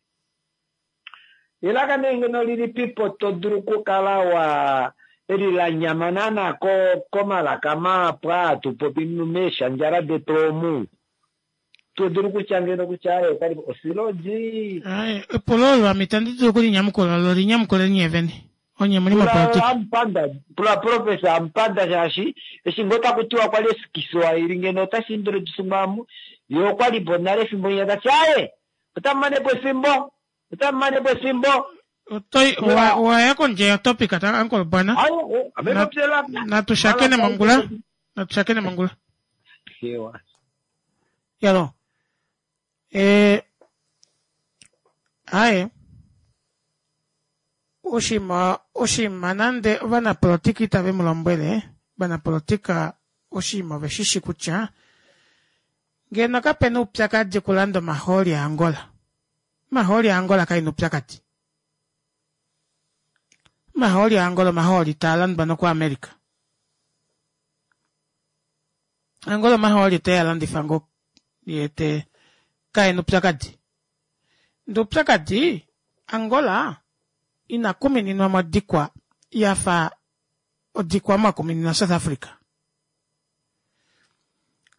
Elaka nee ngeno lilipipo to dulu okukala wa eli la nyama naana komalaka mahapu aa hatu popi meeshandjala detu omu. To dulu kutya ngeno kutya aye otali osiloji. Aye, epulo olo ame itandi dulu okulinyamukula lo linyamukuleni nye vene. Onye muli mopolitika. Amupanda, pula professor Amupanda shaashi eshi ngoo taku tiwa kwali Kiswahili ngeno otashi introduce mwamu ye okwali po nale efimbo linya tati aye otamu mane po efimbo otamu mane po efimbo. Owa ya kondje yotopic ta Uncle Bwana. Natu shakene mongula. Natu shakene mongula. Yalo. Aye. Oshinima oshinima nande ovanapolitika itave mu lombwele, ovanapolitika oshinima ove shi shi kutya ngeno kape na oupyakadi okulanda omahooli aAngola. Omahooli aAngola kae na oupyakadi. Omahooli aAngola omahooli taa landwa nokuAmerica. Angola omahooli te a landifa ngoo ye te kae na oupyakadi. Ndee oupyakadi Angola ina kumininwa modikwa ya fa odikwa omo a kumininwa South Africa.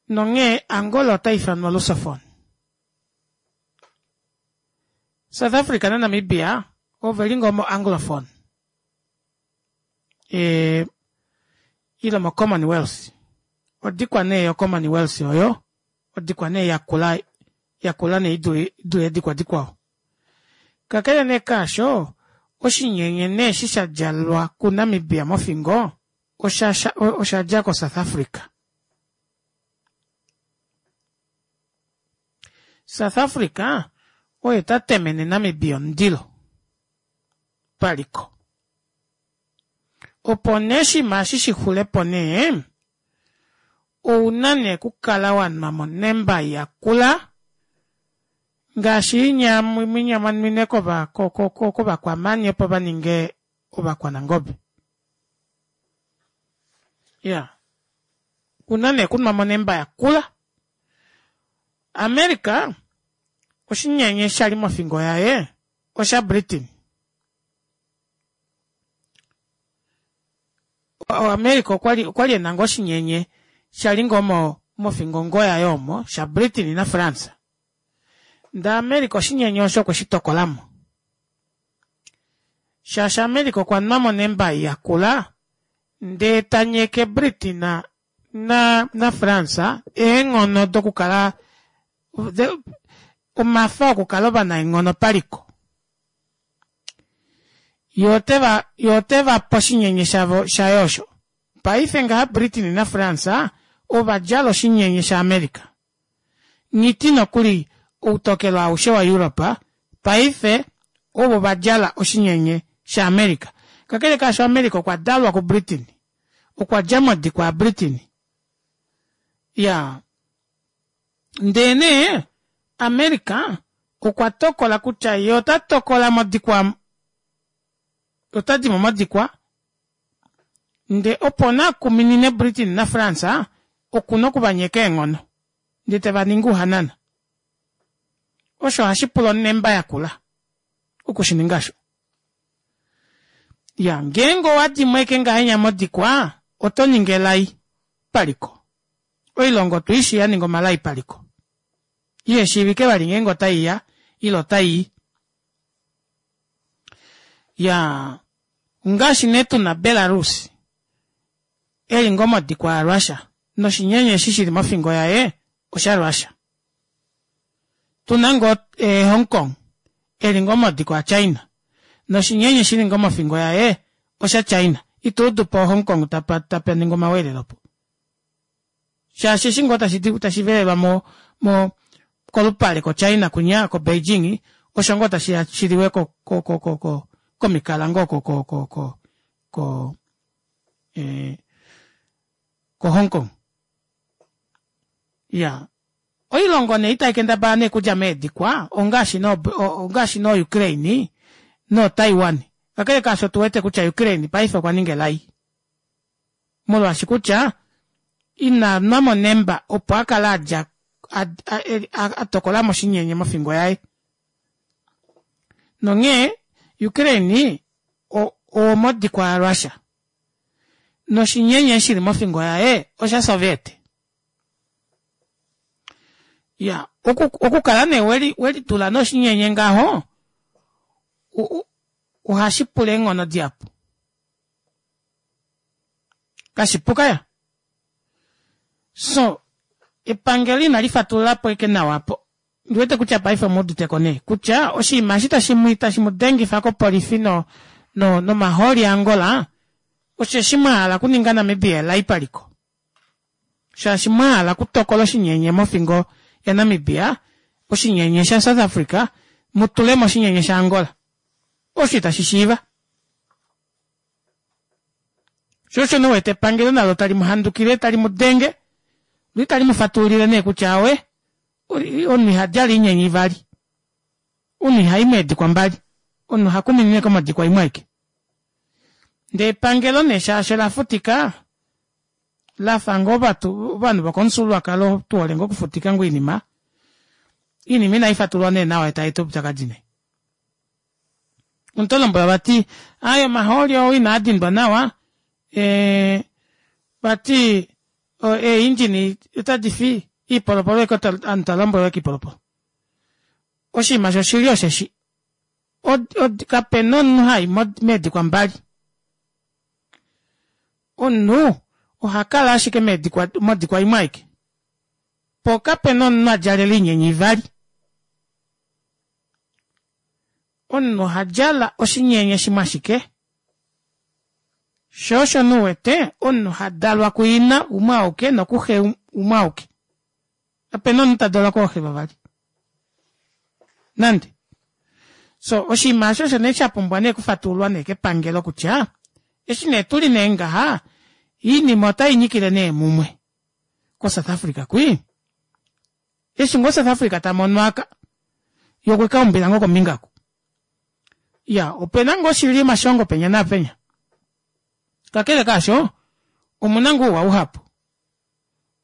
Nonghee Angola ota ifanwa Lusophone. South Africa naNamibia ove li ngoo moAnglophone e, ile moCommonwealth. Odikwa nee yoCommonwealth oyo odikwa nee yakula yakula nee idule eedikwa dikwao. Kakele nee kaasho, oshinyenye nee eshi sha djalwa kuNamibia mofingo osha osha dja koSouth Africa. South Africa oye ta temene Namibia omundilo paliko. Opo nee oshinima eshi shi xule po nee, ou na nee okukala wa nwa monemba yakula ngaashi inya mwinya mwa nwine kovakwamani opo va ninge ovakwanangobe. Ya, una nee okunwa monemba yakula. America oshinyenye sha li mofingo yaye osha Britain. America okwa li okwa li e na ngoo oshinyenye sha li ngoo mo mofingo ngoo yaye omo sha Britain naFrance. Ndee America oshinyenye osho okwe shi tokola mo. Shaashi America okwa nwa mo nembai yakula ndee ta nyeke Britain na naFrance eenghono dokukala omafa okukala ovanaenghono paliko. Ye ote va, ye ote va pe oshinyenye shavo, shaye osho. Paife ngaha Britain naFrance ova djala oshinyenye shaAmerica. Nghiti nokuli outokelo aushe waEurope paife ovo va djala oshinyenye shaAmerica. Kakele kaasho America okwa dalwa kuBritain. Okwa dja modikwa yaBritain. Ya. Ndee nee America okwa tokola kutya ye ota tokola modikwa ota di mo modikwa nde opo na kuminine Britain naFrance oku na oku va nyeka eenghono ndee te va ningi ouhanana. Osho ohashi pula onemba yakula oku shi ninga osho. Ya, ngeenge owa di mo eke ngahenya modikwa oto ningi elai paliko. Oilongo otu i shii ya ninga omalai paliko. Ihe shiivike vali ngeenge otai ya ile otai i. Ya, ongaashi nee tu na Belarus e li ngoo modikwa yaRussia noshinyenye eshi shi li mofingo yaye oshaRussia. Tu na ngoo eh, Hong Kong e li ngoo modikwa yaChina noshinyenye shi li ngoo mofingo yaye oshaChina. Ito udu po Hong Kong tapa tapa ningwa omaweelelo po. Shaashi eshi ngoo tashi di tashi velelwa mo mo kolupale koChina kunya koBeijing osho ngoo tashi ya shi liwe ko ko ko ko ko komikala ngoo ko ko ko ko ko eh, ko Hong Kong. Ya. Oilongo nee itai kendabala nee kudja meedikwa ongaashi no ongaashi no Ukraine no Taiwan. Kakele kaasho otu wete kutya Ukraine paife okwa ninga elai. Molwaashi kutya ina nwa monemba opo a kale a dja a, a, a, a tokola mo oshinyenye mofingo yaye. Nonghee Ukraine owomodikwa yaRussia. Noshinyenye shi li mofingo yaye oshaSoviet. Ya, okukala nee weli welitula noshinyenye ngaho ohashi pula eenghono dihapu. Kashipuka ya. So, epangelo inali fatulula po eke nawa po. Ndi wete kutya paife omu udite ko nee kutya oshinima eshi tashi mu tashi mu dengifa kopolifi no no nomahooli aAngola osheshi mwa hala okuninga Namibia elai paliko. Shaashi mwa hala okutokola oshinyenye mofingo yaNamibia, oshinyenye shaSouth Africa, mu tule mo oshinyenye shaAngola. Osho itashi shiiva. Sho osho nee wete epangelo nalo tali mu handukile, tali mu denge, lo itali mu fatululile nee kutya awe, omunhu iha djala oinyenye ivali. Omunhu iha i meedikwa mbali. Omunhu oha kuminine komodikwa imwe aike. Ndee epangelo nee shaashi ola futika, la fa ngoo ovanhu vokomufyuululwakalo tu hole ngoo okufutika ngoo oinima, oinima inai fatululwa nee nawa tai eta oupyakadi nee. Omuntu lombwela vati aye omahooli oo inaa dindwa nawa ee, vati eeindjini otadi fi iipolopolo eke aantu ta lombwelwa eke iipolopolo. Oshinima shoshili osheshi kape na omunhu hayi meedikwa mbali. Omunhu oha kala ashike meedikwa modikwa imwe aike. Po kape na omunhu a djalela oinyenye ivali. Omunhu oha djala oshinyenye shimwe ashike. Sho osho nee u wete omunhu ha dalwa kuina umwe auke nokuxe umwe auke. Kape na omunhu ta dalwa kooxe vavali. Nande. So oshinima osho osho nee sha pumbwa nee okufatululwa nee kepangelo kutya eshi nee tuli nee ngaha iinima otai nyikile nee mumwe koSouth Africa kwii. Eshi ngoo South Africa ta mono aka, ye okwe ka umbila ngoo kombinga oku. Ya, ope na ngoo shili omashongo penya naapenya. Kakele kaasho, omu na ngoo ouwa uhapu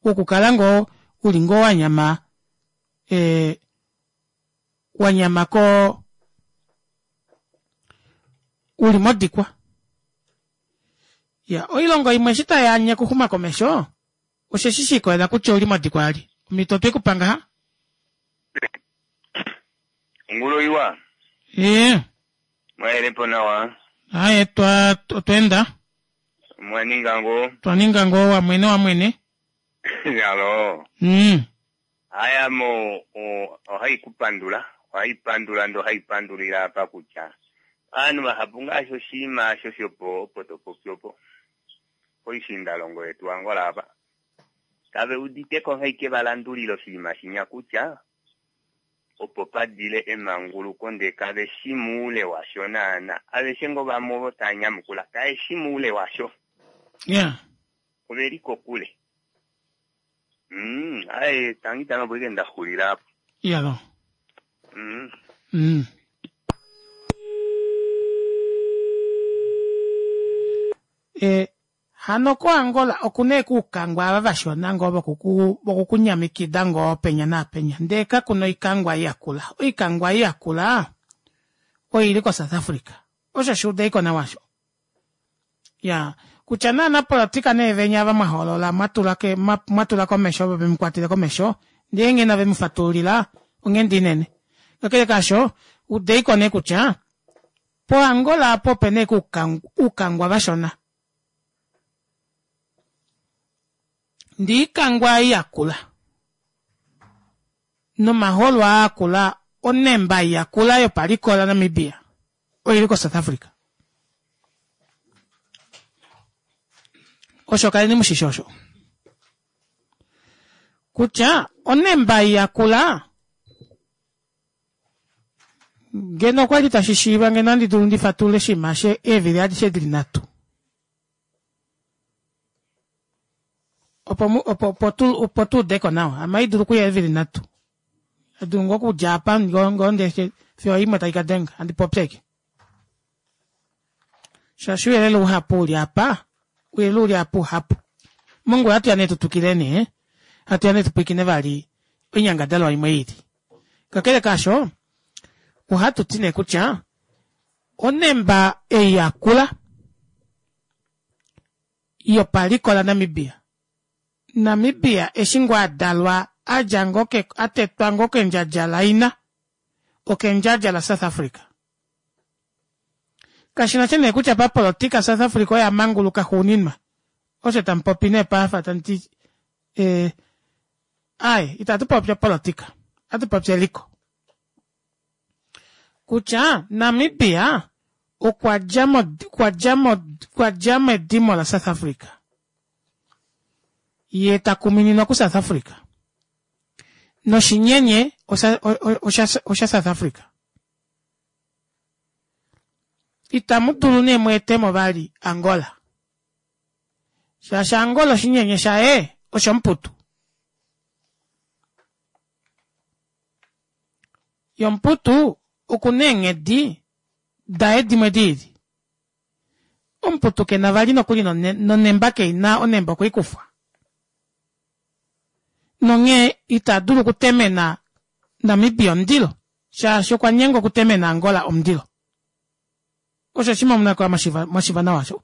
wokukala ngoo u li ngoo wa nyama e, wa nyama ko u li modikwa. Ya, oilongo imwe eshi tai anye okuxuma komesho, Osheshi shi ikolela kutya ouli modikwa yalye. Omhito otwe ku pa ngaha. Ongulo iwa. Ee. Mwa po nawa. Aye, twa otwa enda. Mwa ninga ngoo. Twa ninga ngoo wamwene wamwene. Alo. Mm. Aya mo ohai ku pandula, ohai pandula ndo hai pandulila apa kutya. Ovanhu vahapu ngaashi oshinima osho shopo opo to popi opo poishiindalongo yetu Angola apa kave udite ko nghee va landulile oshinima shinya kutya opo pa dile emanguluko ndee kave shi muule washo naana. Aveshe ngoo vamwe ovo tava nyamukula kae shi muule washo. Yeah. Ove li kokule. Mm, aye tangi tangi opo ike nda xulila apo. Iyalo. E, hano koAngola okuna ekuukangwa ava vashona ngoo vokuku vokukunyamikida ngoo penya naapenya ndee kakuna oikangwa iyakula oikangwa iyakula oili koSouth Africa osho shuudeiko nawa osho ya kutya naanapolotika nee venya ava mwa hoolola mwa tula ke mwa tula komesho ovo vemu kwatele komesho ndee nghee nave mu fatululila onghenda inene kakele kaasho udeiko nee kutya poAngola apo opena eke uukangwa vashona ndee iikangwa ei yakula nomaholo aa akula onemba ei yakula yopaliko laNamibia oili koSouth Africa. Osho kaleni mushishi osho kutya onemba ei yakula ngeno okwali tashi shiiva ngeno andi dulu ndi fatulule oshinima she eevili adishe dili nhatu opo opo opo tu opo tu udeko nawa ame hai dulu okuya eevili nhatu dulu ngoo okudja apa ngoo ndee fiyo imwe tai ka denga handi popi ashike shaashi ouyelele uhapu uli apa ouyelele uli apa uhapu mongula hatu ya nee tu twikileni eh? hatu ya nee tu pwilikine vali oinyangadalwa imwe ili kakele kaasho ohatu ti nee kutya onemba ei yakula yopaliko laNamibia Namibia eshi ngoo a dalwa a dja ngoo ke a tetwa ngoo kendjadja laina okendjadja laSouth Africa. Kashi na sha nee kutya papolotika South Africa oye a manguluka xuuninwa, osho tamu popi nee paafa tamu ti eh, aaye itatu popi opolotika, ohatu popi eliko. Kutya Namibia okwa dja mo, okwa dja mo, okwa dja medimo laSouth Africa. Ye ta kumininwa kuSouth Africa. Noshinyenye osha, osha, osha South Africa. Itamu dulu nee mu etemo vali Angola. Shaashi Angola oshinyenye shaye oshomuputu. Yomuputu oku na eenghedi daye dimwe di ili. Omuputu ke na vali nokuli nonemba kei na onemba okwe i kufwa. Nonghee ita dulu okutemena Namibia omundilo shaashi okwa nyengwa okutemena Angola omundilo. Osho oshinima omunako mwa shiva nawa osho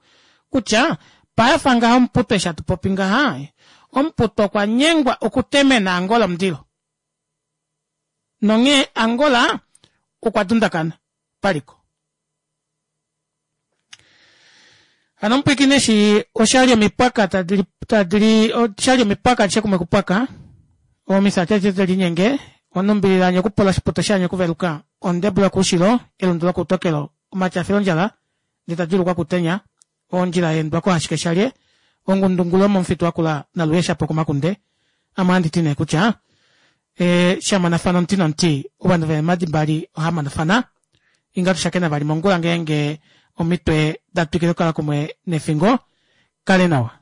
kutya payafa ngaha omuputu eshi hatu popi ngaha omuputu okwa nyengwa okutemena Angola omundilo. Nonghee Angola okwa dundakana paliko. Hano omupwiikini eshi oshali omipwaka tadi tadi oshali omipwaka adishe kumwe kupwaka omifya adishe tadi linyenge onumbilila anye okupola oshiputo shanye okuveluka ondebula koushilo elundu lokoutokelo omatyafilo ondjala ndee ta djuulukwa kutenya ondjila ya endwa kohashike shalye ongundungulu yomomufitu wakula naluye shapo komakunde ame ohandi ti nee kutya e, shamonafana omuti nomuti ovanhu veemadi mbali ohamonafana inga tushakena vali mongula ngeenge omitwe da twikile okukala kumwe nefingo kale nawa.